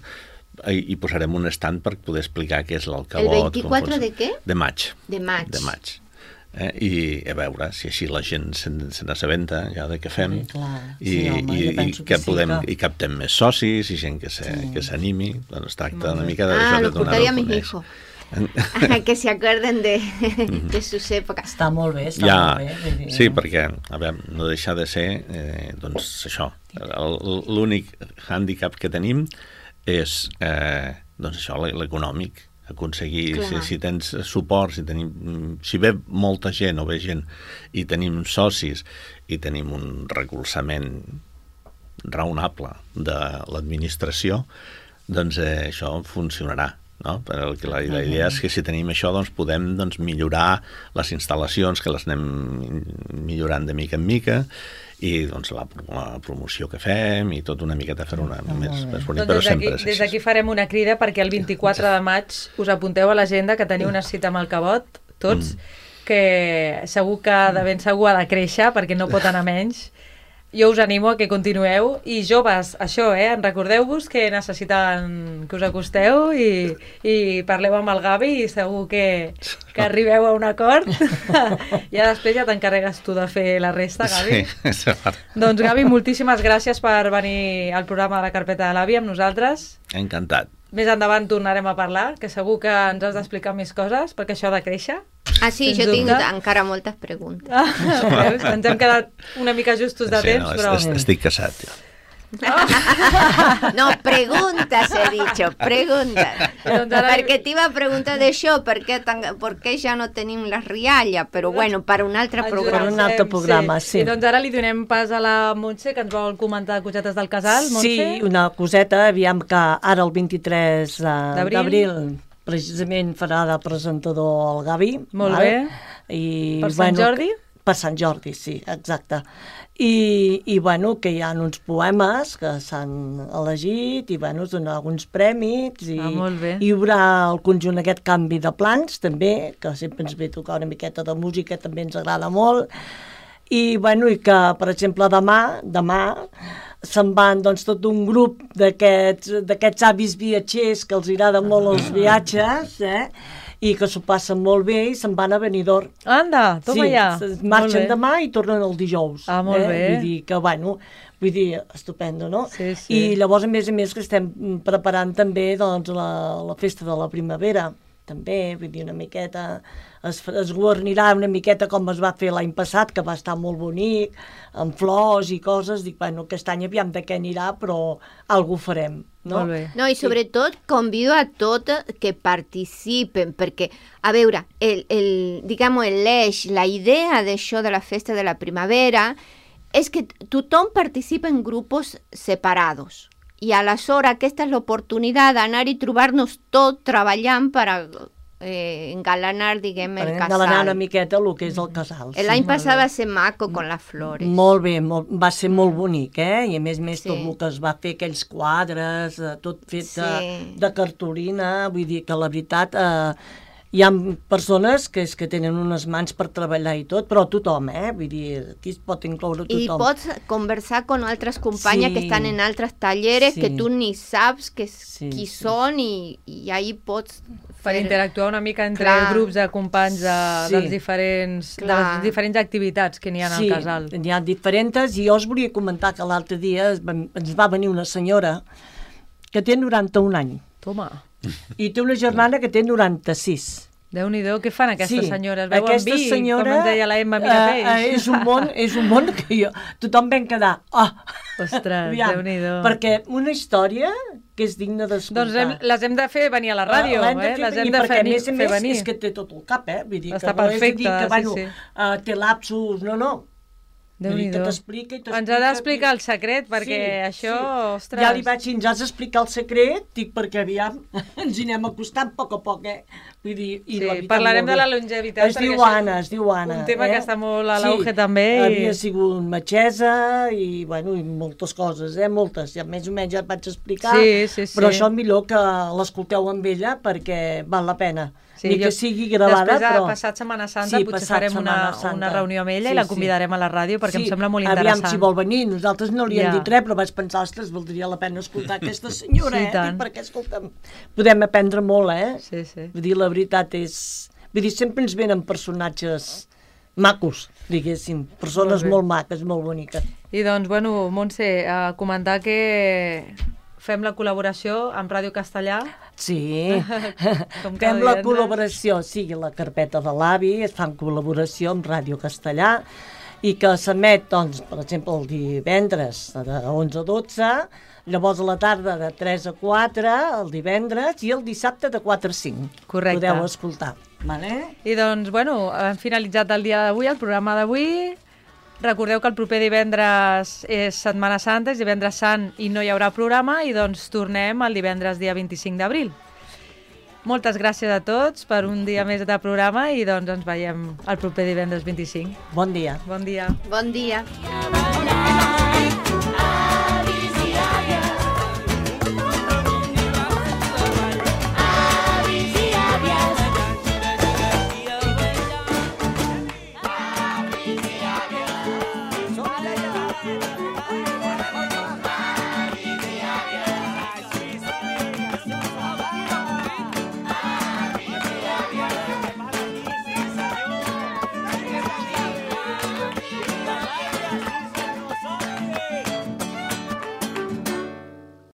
i, i posarem un estand per poder explicar què és l'Alcavot. El vint-i-quatre de què? De maig. De maig. De maig. Eh, i a veure si així la gent se, se n'assabenta ja de què fem, Sí, clar. i, Sí, home, i, jo i penso que que sí, podem, que- i captem més socis i gent que se, Sí. que s'animi. Doncs es tracta una mica de, Ah, això, de lo donar-ho portaría a a mis conèixer. hijos. Que se acuerden de, de sus épocas. Està molt bé, està Ja, molt bé. vull dir, sí, perquè a veure, no deixa de ser eh, doncs això, el- l'únic hàndicap que tenim és eh, doncs això, l'econòmic, aconseguir, si, Clar. si tens suport, si, tenim, si ve molta gent o ve gent i tenim socis i tenim un recolzament raonable de l'administració, doncs eh, això funcionarà. No? Però el que la, la idea és que si tenim això doncs podem doncs, millorar les instal·lacions, que les anem millorant de mica en mica, i doncs, la, la promoció que fem i tot una miqueta fer una més, més bonic, Doncs però des d'aquí, sempre és des així. d'aquí farem una crida perquè el vint-i-quatre de maig us apunteu a l'agenda que teniu una cita amb el Cabot, tots, que segur que de ben segur ha de créixer perquè no pot anar menys. Jo us animo a que continueu i joves, això, eh? Recordeu-vos que necessiten que us acosteu i, i parleu amb el Gavi i segur que, que arribeu a un acord. Ja després ja t'encarregues tu de fer la resta, Gavi. Sí, és cert. Doncs Gavi, moltíssimes gràcies per venir al programa de la Carpeta de l'Avi amb nosaltres. Encantat. Més endavant tornarem a parlar, que segur que ens has d'explicar més coses, perquè això ha de créixer. Ah, sí, Sens jo tinc dubte. encara moltes preguntes. Ah, veus? Ens hem quedat una mica justos de Sí, temps, no, però... est- estic casat, jo. No, preguntas he dicho, preguntas. Doncs ara- Perquè t'iba a preguntar d'això, per què, tan, per què ja no tenim la rialla, però bueno, per un altre Ens programa. un altre programa, sí. I doncs ara li donem pas a la Montse, que ens vol comentar cosetes del casal. Montse? Sí, una coseta, aviam que ara el vint-i-tres eh, D'abril. d'abril precisament farà de presentador el Gavi. Molt val? bé. I, Per Sant Jordi? Per Sant Jordi, sí, exacte. I, i bueno, que hi ha uns poemes que s'han elegit i bueno, es donen alguns premis i, Ah, molt bé. i hi haurà el conjunt aquest canvi de plans també, que sempre ens ve a tocar una miqueta de música, també ens agrada molt. I, bueno, i que, per exemple, demà, demà se'n van doncs, tot un grup d'aquests d'aquests avis viatgers que els agraden molt els viatges, eh? I que s'ho passen molt bé i se'n van a Benidorm. Anda, toma sí, ja. s- Molt marxen bé. demà i tornen el dijous. Ah, molt eh? bé. Vull dir que, bueno, vull dir, estupendo, no? Sí, sí. I llavors, a més a més, que estem preparant també doncs, la, la festa de la primavera, també, vull dir, una miqueta, es, es guarnirà una miqueta com es va fer l'any passat, que va estar molt bonic, amb flors i coses, dic, bueno, aquest any aviam de què anirà, però algú farem, no? Molt bé. No, i sobretot convido a tots que participen, perquè, a veure, el, el, diguem-ho, l'eix, la idea d'això de la festa de la primavera és que tothom participa en grups separados. I aleshores aquesta és l'oportunitat d'anar i trobar-nos tot treballant per a eh, engalanar, diguem, Per el engalanar una casal. miqueta el que és el casal. L'any sí. passat va ser maco con les flores. Molt bé, molt, va ser molt bonic, eh? I a més a més Sí. tot el que es va fer, aquells quadres, eh, tot fet de, Sí. de cartolina, vull dir que la veritat eh, hi ha persones que, és que tenen unes mans per treballar i tot, però tothom, eh? Vull dir, aquí es pot incloure I tothom. pots conversar con altres companyes Sí. que estan en altres talleres Sí. que tu ni saps que, Sí, qui sí. són i, i ahí pots Per fer- interactuar una mica entre Clar. grups de companys de, Sí. dels diferents, de Clar. les diferents activitats que n'hi ha Sí, al casal. n'hi ha diferents, i jo us volia comentar que l'altre dia es va, ens va venir una senyora que té noranta-un anys Toma. i té una germana que té noranta-sis. Déu-n'hi-do, què fan aquestes Sí, senyores? Beuen aquesta vi, senyora, com ens deia la Emma Mirapeix. eh, eh, és un món, és un món que jo, tothom vam quedar, oh, Ostres, aviam, Déu-n'hi-do. perquè una història que és digna d'escoltar. Doncs hem, les hem de fer venir a la ràdio, L'hem de eh? fer Les venir, hem de perquè fer, a més a fer més venir. és que té tot el cap, eh? Vull dir, Està que no és a dir perfecte, que, bueno, sí, sí. Uh, té lapsus, no, no. Vull dir que Déu-n'hi-do. t'explica i t'explica. Ens ha d'explicar el secret, perquè això, ostres... Ja li vaig dir, ens has d'explicar el secret, dic, perquè aviam, ens hi anem acostant a poc a poc, eh? Vull dir, i Sí, la veritat, parlarem molt de bé. la longevitat, Es perquè diu això és Anna, es diu Anna. un tema eh? que està molt a l'auge sí, també i- havia sigut metgessa i, bueno, i moltes coses, eh? Moltes, ja més o menys ja et vaig explicar, Sí, sí, sí. però això millor que l'escolteu amb ella perquè val la pena. Sí, Ni que jo- sigui gravada, Després, però... de passat Setmana Santa, Sí, potser passat farem una, Setmana Santa. una reunió amb ella Sí, i la sí. convidarem a la ràdio, perquè Sí, em sembla molt interessant. Aviam si vol venir, nosaltres no li hem Ja. dit res, però vaig pensar, ostres, valdria la pena escoltar aquesta senyora, Sí, eh? tant. Dic, perquè, escolta'm, podem aprendre molt, eh? Sí, sí. Vull dir, la veritat és... Vull dir, sempre ens venen personatges macos, diguéssim, persones Molt bé. molt, maques, molt boniques. I doncs, bueno, Montse, a comentar que fem la col·laboració amb Ràdio Castellà. Sí, Com cada fem la divendres. col·laboració, sí, la carpeta de l'avi, es fa en col·laboració amb Ràdio Castellà, i que s'emet, doncs, per exemple, el divendres de onze a dotze, llavors a la tarda de tres a quatre, el divendres, i el dissabte de quatre a cinc. Correcte. Podeu escoltar. Vale? I doncs, bueno, hem finalitzat el dia d'avui, el programa d'avui. Recordeu que el proper divendres és Setmana Santa, és divendres sant i no hi haurà programa, i doncs tornem el divendres dia vint-i-cinc d'abril. Moltes gràcies a tots per un dia més de programa i doncs ens veiem el proper divendres vint-i-cinc. Bon dia. Bon dia. Bon dia.